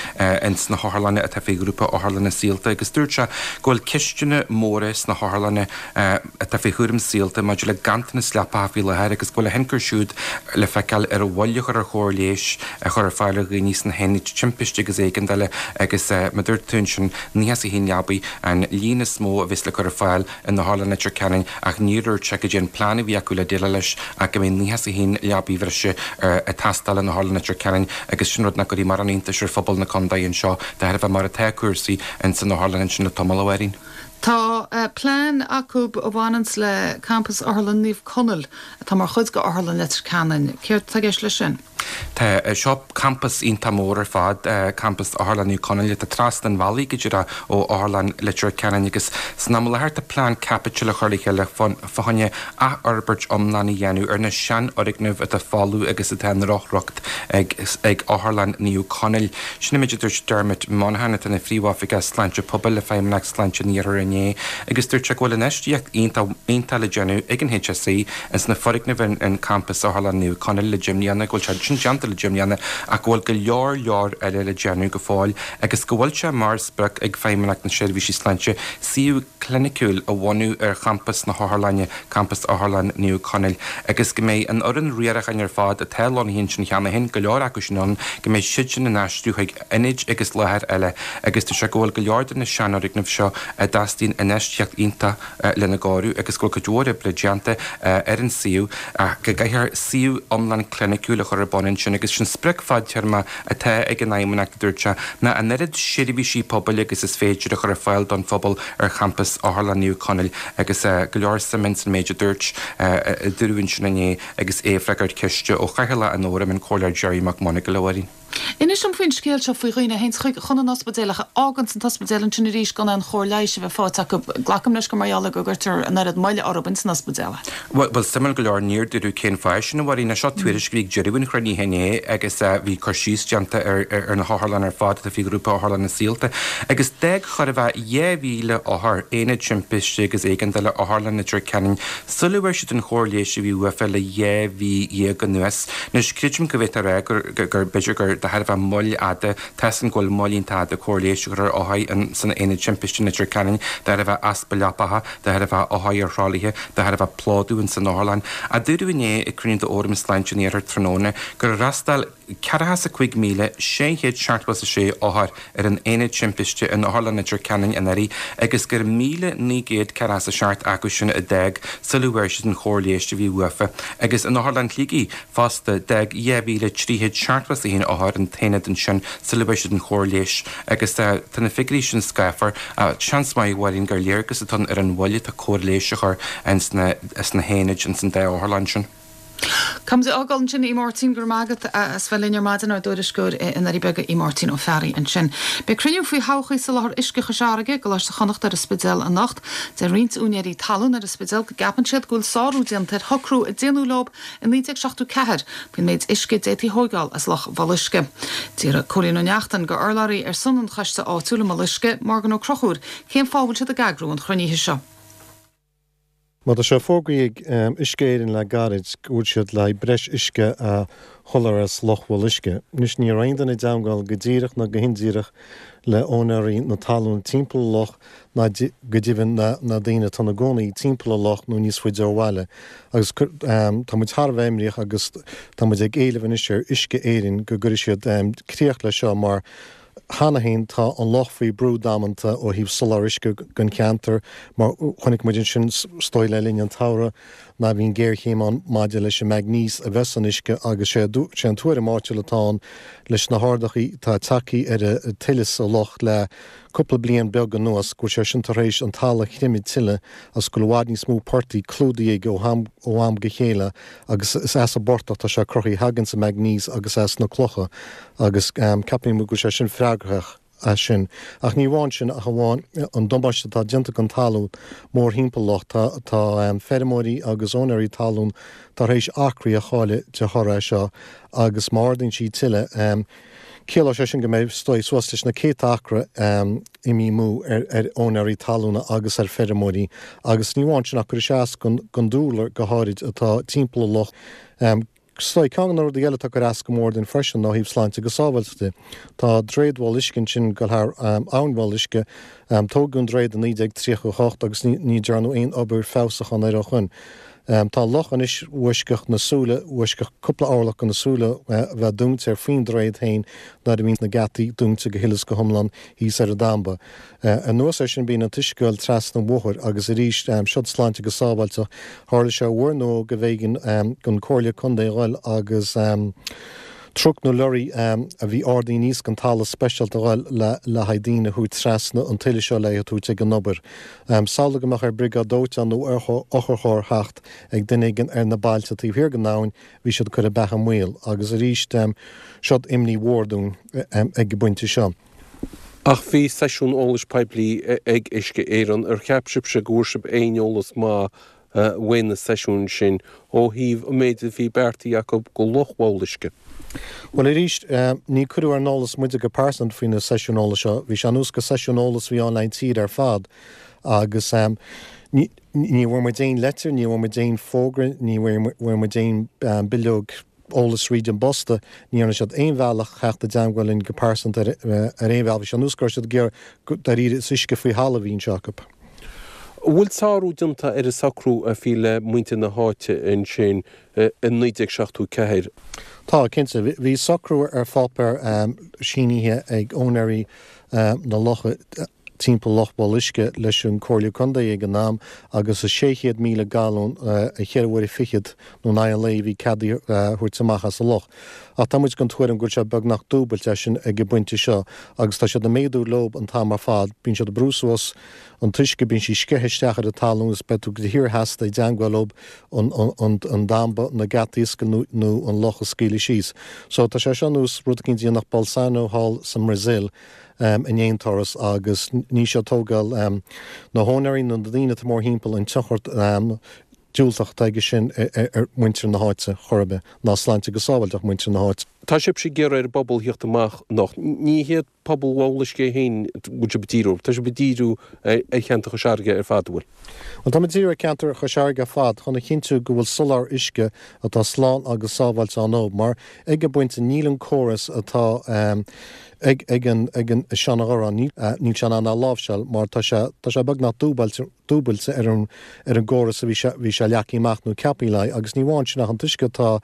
ins na hotharlanna atá faoi Ghrúpa Otharlanna Saolta agus dúirt sé go bhfuil ceisteanna móra sna hotharlanna atá faoi chúram Saolta maidir le ganntanas leapacha faoi láthair agus go bhfuil a thionchar siúd le feiceáil ar an mhoill a chur ar chóir leighis a chur ar fáil ar dhaoine sna haonaid timpiste agus éigeandála agus mar a dúirt tú ansin naocha is a haon leabaí an líon is mó a bheas le cur ar fáil in Otharlann Leitir Ceanainn ach níor dhúirt sé goidé an plean a bhí acu le déileáil leis ach go mbeidh naocha is a haon leabaí bhreise ag teastáil in Otharlann Leitir Ceanainn agus sin rud nach gcuirfidh mórán iontais ar phobal na contae anseo de thairbhe mar atá cúrsaí ins an otharlann ansin le tamall, a Mháirín. Tá plean acu a bhaineanns le campas Otharlann Naomh Conaill atá mar chuid de Otharlann Leitir Ceanainn. Céard atá i gceist leis sin? Tá seo campas iontach mór ar fad, campas Otharlann Naomh Conaill atá trasna an bhealaigh go díreach ó Otharlann Leitir Ceanainn agus san am i láthair tá plean caipitil á chur le chéile fá choinne athfhorbairt iomlán a dhéanamh ar na seanfhoirgnimh atá folamh agus atá i ndrochriocht ag ag Otharlann Naomh Conaill. Sin an méid a dúirt Dermot Monaghan atá ina Phríomhoifigeach Sláinte Pobail le Feidhmeannacht Sláinte an Iarthair inné agus dúirt sé go bhfuil infheistíocht iontach iontach le déanamh ag an H S E ins na foirgnimh in in campas Otharlann Naomh Conaill le deich mbliana, go bhfuil sé sin déanta le deich mbliana ach go bhfuil go leor leor eile le déanamh go fóill agus go bhfuil sé mar sprioc ag Feidhmeannacht na Seirbhísí Sláinte suíomh cliniciúil a bhunú ar champas na hotharlainne, campas Otharlann Naomh Conaill, agus go mbeidh an fhoireann riaracháin ar fad atá lonnaithe ansin cheana féin, go leor acu sin ann, go mbeidh siad sin in aistriú chuig ionaid agus láthair eile agus dúirt sé go bhfuil go leor de na seanfhoirgnimh seo a dteastaíonn infheistíocht iontach lena gcóiriú agus go bhfuil cuid mhór oibre déanta ar an suíomh ach go gcaithfear suíomh iomlán cliniciúil a chur ar bun ansin agus sin sprioc fadtéarma atá ag an Fheidhmeannacht, a dúirt sé, ná an oiread seirbhísí pobail agus is féidir a chur ar fáil don phobal ar champas Otharlann Naomh Conaill agus go leor suime ins an méid a dúirt a dúradh ansin inné agus é ag freagairt ceiste ó Chathaoirleach an Fhóraim, an Comhairleoir Gerry McMonagall, a Mháirín. Inis dom faoin scéal seo faoi dhaoine a théanns chuig chun an ospidéil ach a fháganns an t-ospidéal ansin arís gan aon chóir leighis a bheith faighte acu. Glacaim leis gur mar gheall ar go gcuirtear an oiread moille orthu ins an ospidéal. Bhuel, bhuel, suimiúil go leor, níor dúradh cén fáth sin, a Mháirín. Seo tuairisc a bhí ag deireadh an chruinnithe inné agus bhí cur síos déanta ar ar na hotharlanna ar fad atá faoi Ghrúpa Otharlanna Saolta agus d'fhág chóir a bheith dhá mhíle othar Aonad Timpiste agus Éigeandála Otharlann Leitir Ceanainn sula bhfuair siad an chóir leighis a bhí uafa le dhá mhí dhéag anuas. Anois, creidim go bhféadfá a rá gur, gur, b'fhéidir gur de thairbhe moill fhada. Tá's againn go bhfuil moill iontach fhada cóir leighis a chur ar othair san aonad timpiste in Leitir Ceanainn, de thairbhe easpa leapacha, de thairbhe othair ar thralaithe, de thairbhe plódú in san otharlann. A dúradh inné ag cruinniú d'Fhóram Sláinte an Iarthair tráthnóna gur fhreastail ceathracha is a cúig míle sé chéad seachtó is a sé othar ar an aonad timpiste in Otharlann Leitir Ceanainn anuraidh agus gur míle naoi gcéad ceathracha is a seacht acu sin a d'fhág sula bhfuair siad an chóir leighis a bhí uafa agus in Otharlann Shligigh fosta d'fhág dhá mhíle trí chéad seachtó is a haon othar an t-aonad ansin sula bhfuair siad an chóir leighis agus tá na figiúirí sin scáfar. Seans maith, a Mháirín, gur léargas atá ann ar an mhoill atá cóir leighis a chur ins na haonaid ins an dá otharlann sin. Caithfimid a fhágáil ansin í Máirtín go raibh maith agat as bheith linn ar maidin ár dtuairisceoir i nDoirí Beaga í Máirtín Ó Fearraigh ansin. Beidh cruinniú faoi thodhchaí soláthar uisce Chois Fharraige i gColáiste Chonnacht ar an Spidéal anocht. Deir roinnt úinéirí talún ar an Spidéal go gceapann siad go bhfuil sárú déanta ar shocrú a déanadh leo i naoi déag seachtó ceathair faoin méid uisce a d'fhéadfaí thóigeáil as Loch Bhéal Uisce. D'fhiafraigh Cóilín Ó Neachtain de urlabhraí ar son an choiste áitiúil i mBéal Uisce, Morgan Ó Conchúir, cén fáth a bhfuil siad ag eagrú an chruinnithe seo. Má tá sé fógraithe ag Uisce Éireann le gairid go bhfuil siad le breis uisce a sholáthar as Loch Bhéal Uisce. Anois ní raibh aon duine i dteagmháil go díreach ná go hindíreach le úinéirí na talún timpeall an loch ná go deimhin na na daoine atá ina gcónaí timpeall an loch nó níos faide ó bhaile. Agus tá muid thar a bheith imníoch agus tá muid ag éileamh anois ar Uisce Éireann go gcuirfidh siad críoch leis seo mar cheana féin tá an loch faoi brú damanta ó thaobh soláthar uisce don cheantar mar chonaic muid ansin is dóigh le linn an tsamhraidh ná bhí an géarchéim ann maidir leis an maignéis a bheith san uisce agus sé sé an tuairim áitiúil atá ann leis na hardaithe atá tagtha ar an tuile sa loch le cúpla bliain beag anuas go bhfuil sé sin tar éis an talamh a chreimeadh tuilleadh agus go bhfuil i bhfad níos mó portaigh clúdaithe ó am ó am go chéile agus is as an bportach tá sé cruthaithe thagann an maignéis agus as na clocha agus ceapaim go bhfuil sé sin freagrach as sin. Ach ní amháin sin ach amháin an damáiste atá déanta don talamh mórthimpeall loch tá tá feirmeoirí agus úinéirí talún tar éis acraí a chailleadh de thoradh seo agus má ardaíonn sí tuilleadh ciallóidh sé sin go mbeidh stoi suas leis na céadta acra imithe amú ar ar úinéirí talúna agus ar feirmeoirí agus ní amháin sin ach cuirfidh sé as don dúlra go háirid atá timpeall an loch. Is dóigh ceann de na rudaí eile atá ag cur as go mór dúinn freisin ná thaobh sláinte agus sábháilteachta. Tá droichead Bhéal Uisce ansin go thar abhainn Bhéal Uisce tógadh an droichead i naoi déag tríocha a hocht agus ní dearnadh aon obair feabhsúcháin air ó shin. Tá loch anois uaisceach na súile uaisceach cúpla orlach go na súile bheith dúnta ar faoin droichead féin nuair a bhíonn na geataí dúnta go huile is go hiomlán thíos ar an damba. Anuas air sin bíonn an t-uisce ag goil trasna an bhóthair agus arís seod sláinte agus sábháilteacht tharla sé uair nó go mb'éigean don Comhairle Contae a ghoil agus truc nó lorry a bhí ardaithe aníos den talamh speisialta a ghoil le le haghaidh daoine a thabhairt trasna an tuile seo le tabhairt ag an obair. Samhlaigh go mbeadh ar briogáid dóiteáin nó ar otharcharr theacht ag duine éigin ar na bailte taobh thiar den abhainn, bhí siad ag cur a beatha i mbaol agus arís seod imní mhór dúinn ag an bpointe seo. Ach bhí seisiún eolais poiblí ag Uisce Éireann ar cheap sibhse go bhfuair sibh aon eolas maith uaidh na seisiúin sin ó thaobh an méid a bhí beartaithe acu go Loch Bhéal Uisce. Well arís ní cuireadh ar an eolas muide go pearsanta faoi na seisiún eolais seo, bhí sé anuas go seisiún eolais bhí ann le tír ar fad agus ní bhfuair muid aon leitir, ní bhfuair muid aon fógra, ní bhfuair muid aon bileog eolais tríd an bposta, ní dhearna siad aon bhealach theacht i dteagmháil linn go pearsanta ar aon bhealach, bhí sé anuas go raibh siad ag iarraidh dáiríre is uisce faoi thalamh a bhí anseo acu. An bhfuil sárú déanta ar an socrú a bhí le muintir na háite ansin i naoi déag seachtó ceathair? Tá, cinnte. Bhí socrú ar pháipéar sínithe ag úinéirí na locha timpeall Loch Bhéal Uisce leis an Comhairle Contae ag an am agus is sé chéad míle galún a cheithre uaire fichead nó in aghaidh an lae a bhí cead a thabhairt amach as an loch. Ach tá muid den tuairim go bhfuil sé beagnach dúbailte as sin ag an bpointe seo agus tá siad ag méadú leob an t-am ar fad. Bíonn siad ag brú suas an t-uisce, bíonn sí sceithe isteach ar an talamh agus beidh tú de shíor seasta i dteagmháil leob an an an damba, na geataí a oscailt nó an loch a scaoileadh síos. So tá sé seo nós rud eicínt a dhéanfadh Bolsonaro thall sa mBrasaíl in aon turas agus ní seo tógáil na húinéirí nó na daoine atá mórthimpeall an tionchar diúltach atá aige sin ar mhuintir na háite chor ar bith, ná sláinte agus sábháilteacht muintir na háite. Tá sibhse ag iarraidh ar an bpobal theacht amach anocht. Ní hiad pobal Bhalla Uisce féin bhfuil sibh ag díriú? Tá sibh ag díriú ar cheantar Chois Fharraige ar fad, an bhfuil? Bhuel, táimid ag díriú ar cheantar Chois Fharraige ar fad chun a chinntiú go bhfuil soláthar uisce atá slán agus sábháilte ann dóibh, mar ag an bpointe níl an córas atá ag ag an ag an Seanadh níl sé in ann a láimhseáil mar tá sé tá sé beagnach dúbailte dúbailte ar an ar an gcóras a bhí sé bhí sé leagtha amach nó ceaptha le agus ní amháin sin ach an t-uisce atá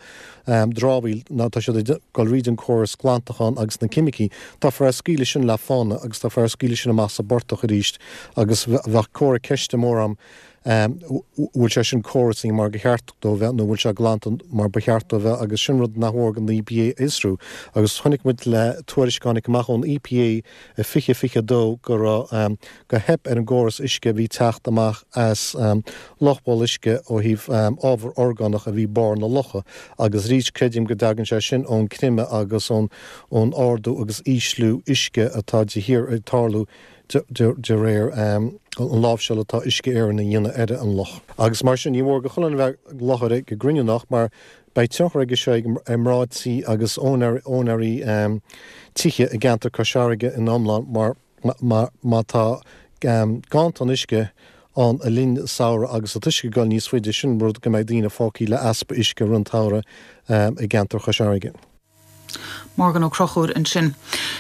dramhaíl ná tá siad ag dul thríd an córas glantacháin agus na ceimicí táfar á scaoileadh sin le fána agus táfar á scaoileadh sin amach sa bportach arís agus bheadh comhartha ceiste mór ann bhfuil sé sin córasaithe mar gur cheart dó bheith nó bhfuil sé glanta mar ba cheart dó bheith agus sin rud nach mór don EPA a fhiosrú agus chonaic muid le tuairisc a tháinig amach ón EPA i fiche fiche a dó go raibh go theip ar an gcóras uisce a bhí teacht amach as Loch Bhalla Uisce ó thaobh ábhar orgánach a bhí barr na locha agus arís creidim go dtagann sé sin ón creimeadh agus ón ón ardú agus ísliú uisce atá de shíor ag tarlú de réir an láimhseáil atá Uisce Éireann a dhéanamh ar an loch. Agus mar sin, ní mór do chuile dhuine a bheith i láthair ag an gcruinniú anocht mar beidh tionchar aige seo ar mná tí agus úinéirí tithe i gceantar Cois Fharraige in iomlán mar má tá ganntan uisce ann le linn samhradh agus an t-uisce ag dul níos faide, sin rud go mbeidh daoine fágtha le easpa uisce i rith an tsamhraidh i gceantar Chois Fharraige. Morgan Ó Conchúir ansin.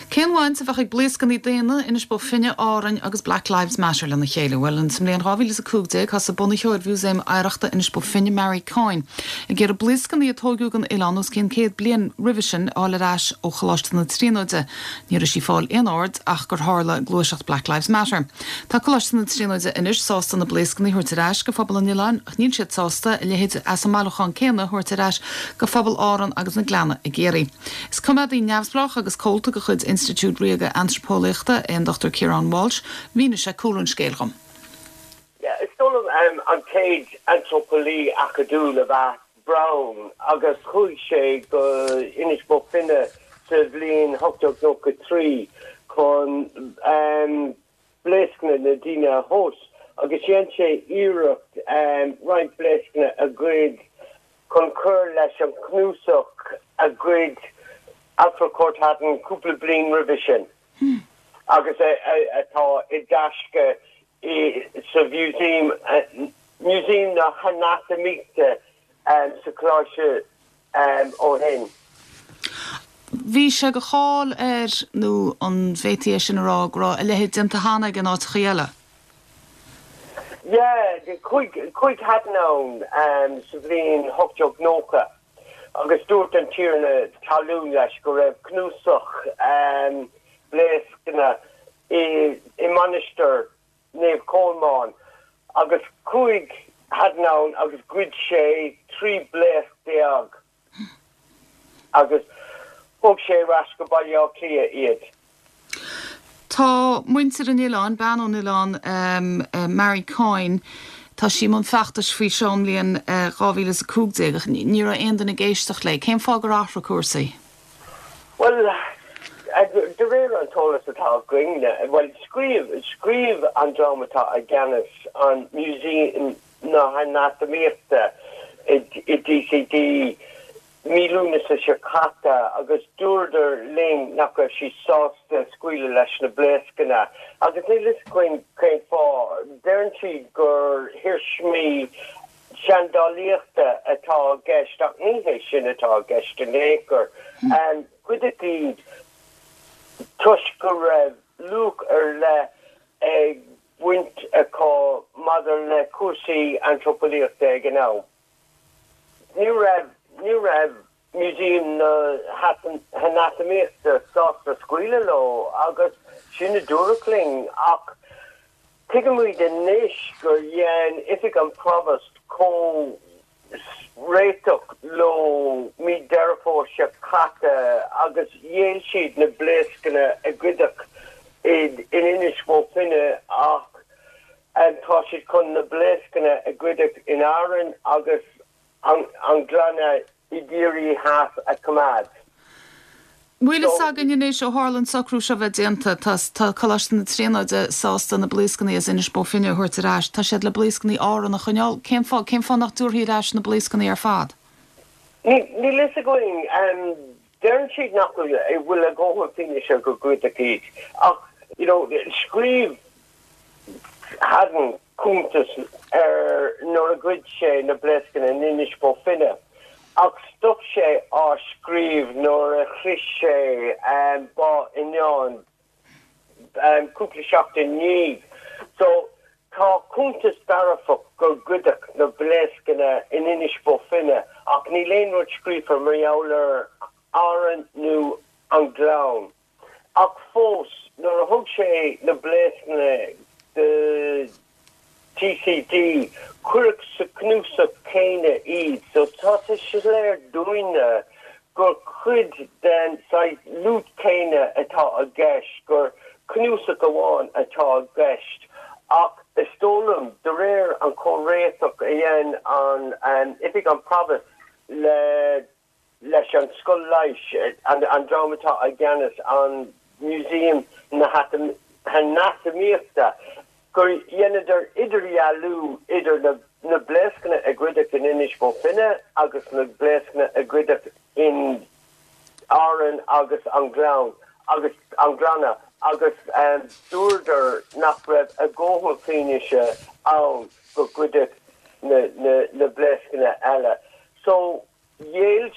Cén bhaint a bheadh ag blaoscanna daonna, Inis Bó Finne, Árainn agus Black Lives Matter lena chéile? Bhuel, sa mbliain dhá mhíle is a cúig déag thosaigh bunaitheoir Mhúsaem Oidhreachta Inis Bó Finne, Mary Coyne, ag iarraidh blaoscanna a tóigeadh den oileán os cionn céad bliain roimhe sin a fháil ar ais ó Choláiste na Tríonóide. Ní raibh sí ag fáil aon aird ach gur tharla gluaiseacht Black Lives Matter. Tá Coláiste na Tríonóide anois sásta na blaoscanna a thabhairt ar ais go phobal an oileáin ach níl siad sásta a leithéid as an mbailiúchán céanna a thabhairt ar ais go phobal Árann agus na Gleanna i gCiarraí. Is coimeádaí neamhspleách agus comhalta de chuid Institiúid Ríoga Antraipeolaíochta é an Dochtúir Ciarán Walsh. Mhínigh sé cúlra an scéil dhom. Is dóigh liom an chéad antraipeolaí acadúil ab ea Browne agus chuaigh sé go Inis Bó Finne sa bhliain ocht déag nócha trí chun blaoscanna na daoine a thomhas agus dhein sé iarracht roinnt blaoscanna a ghoid chun cur leis an chnuasach a ghoid Alfred Cortot Haddon cúpla bliain roimhe sin agus atá i dtaisce sa Mhúsaem Músaem na hAnatamaíochta sa Choláiste ó shin. Bhí sé de cháil air, nó an bhféadfaí é sin a rá, go raibh a leithéid déanta cheana aige in áiteachaí eile? Yeah, chuaigh, chuaigh Haddon ann sa bhliain ocht déag nócha agus dúirt an tiarna talún leis go raibh cnuasach blaoscanna i i Mainistir Naomh Colmán agus chuaigh Haddon ann agus ghoid sé trí blaosc déag. Agus thug sé ar ais go Baile Átha Cliath iad. Tá muintir an oileáin, bean ón oileán, Mary Coyne, tá sí i mbun feachtais faoi seo ón mbliain dhá mhíle is a cúig déag ach ní raibh aon duine ag éisteacht léi. Cén fáth gur athraigh cúrsaí? Bhuel, de réir an t-eolas atá againne, bhuel, scríobh, scríobh an dream atá i gceannas an Museum na hAnatamaíochta i DCD mí Lúnasa seo caite agus dúradar linn nach raibh siad sásta scaoileadh leis na blaoscanna agus níl fhios againn cén fáth. Deireann siad gur iarsmaí seandálaíochta atá i gceist ach ní hé sin atá i gceist in aon chor. Goideadh iad toisc go raibh luach ar leith ag baint acu maidir le cúrsaí antraipeolaíochta ag an am. Ní raibh, ní raibh Museum na hAnatamaíochta sásta scaoileadh leo agus sin a dúradh linn ach tuigimid anois gur dhein Oifig an Propast comh réiteach leo mí Deireadh Fómhair seo caite agus ghéill siad na blaoscanna a goideadh in Inis Bó Finne ach tá siad chun na blaoscanna a goideadh in Árainn agus an Gleanna i gCiarraí Theas a choimeád. Bhfuil fhios againn anois ó tharla an socrú seo bheith déanta, tá tá Coláiste na Tríonóide sásta na blaoscanna as Inis Bó Finne a thabhairt ar ais, tá siad le blaoscanna Árann a choinneáil, cén fáth, cén fáth nach dtabharfaí ar ais na blaoscanna ar fad? Níl fhios againn. Deireann siad nach bhfuil a dhóthain fianaise gur goideadh iad ach you know scríobh Haddon cuntas ar nuair a ghoid sé na blaoscanna in Inis Bó Finne ach stop sé á scríobh nuair a shroich sé Bá Fhíneáin cúpla seachtain ndiaidh. So tá cuntas dearfach gur goideadh na blaoscanna in Inis Bó Finne ach níl aon rud scríofa mar gheall ar Árainn nó an Gleann. Ach fós, nuair a thug sé na blaoscanna do TCD, cuireadh sa chnuasach céanna iad, so tá sé soiléir dúinne gur cuid den saghas loot céanna atá i gceist, gur cnuasach amháin atá i gceist. Ach is dóigh liom, de réir an comhréiteach a dhein an Oifig an Phrobhais le leis an Scoil Leighis, an dream atá i gceannas an Museum na hAnatamaíochta, gur dheineadar idirdhealú idir na blaoscanna a goideadh in Inis Bó Finne agus na blaoscanna a goideadh in Árainn agus an Gleann agus an Gleanna agus dúradar nach raibh a dhóthain fianaise ann gur goideadh na blaoscanna eile. So ghéill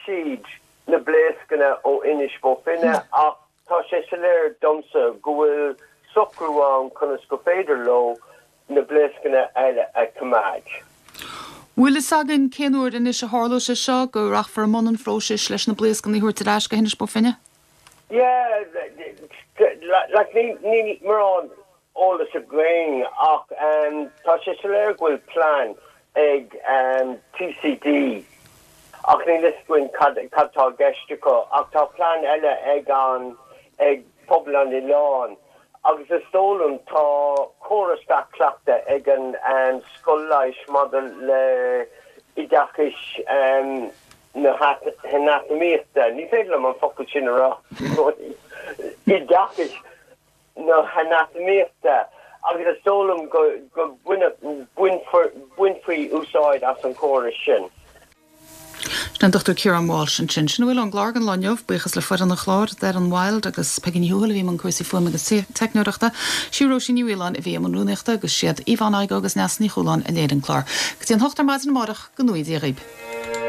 siad na blaoscanna ó Inis Bó Finne ach tá sé soiléir domsa go bhfuil socrú ann conas go féidir leo na blaoscanna eile a choimeád. Bhfuil fhios againn cén uair anois a tharlóidh sé seo, go rachfar i mbun an phróisis leis na blaoscanna a thabhairt ar ais go hInis Bó Finne? Yeah, like níl mórán eolas againn ach tá sé soiléir go bhfuil plean ag TCD ach níl fhios againn cad cad tá i gceist acu ach tá plean eile ag an ag pobal an oileáin agus is dóigh liom tá córas dea-chleachta ag an scoil leighis maidir le oideachais na hanatamaíochta, ní féidir liom an focal sin a rá, oideachais na hanatamaíochta agus is dóigh liom go mbainfí úsáid as an chóras sin. Sin an Dochtúir Ciarán Walsh ansin. Sin a bhfuil ón gclár don lá inniu. Buíochas le foireann an chláir, Darren Wilde agus Peigí Ní Thuathail a bhí i mbun cúrsaí fuaime agus teicneoireachta, sí Róisín Ní Mhaoláin a bhí i mbun rúnaíochta agus siad Yvonne Igoe agus Neasa Ní Chualáin a léirigh an clár. Go dtí an hocht ar maidin amárach, go ngnóthaí Dia dhaoib.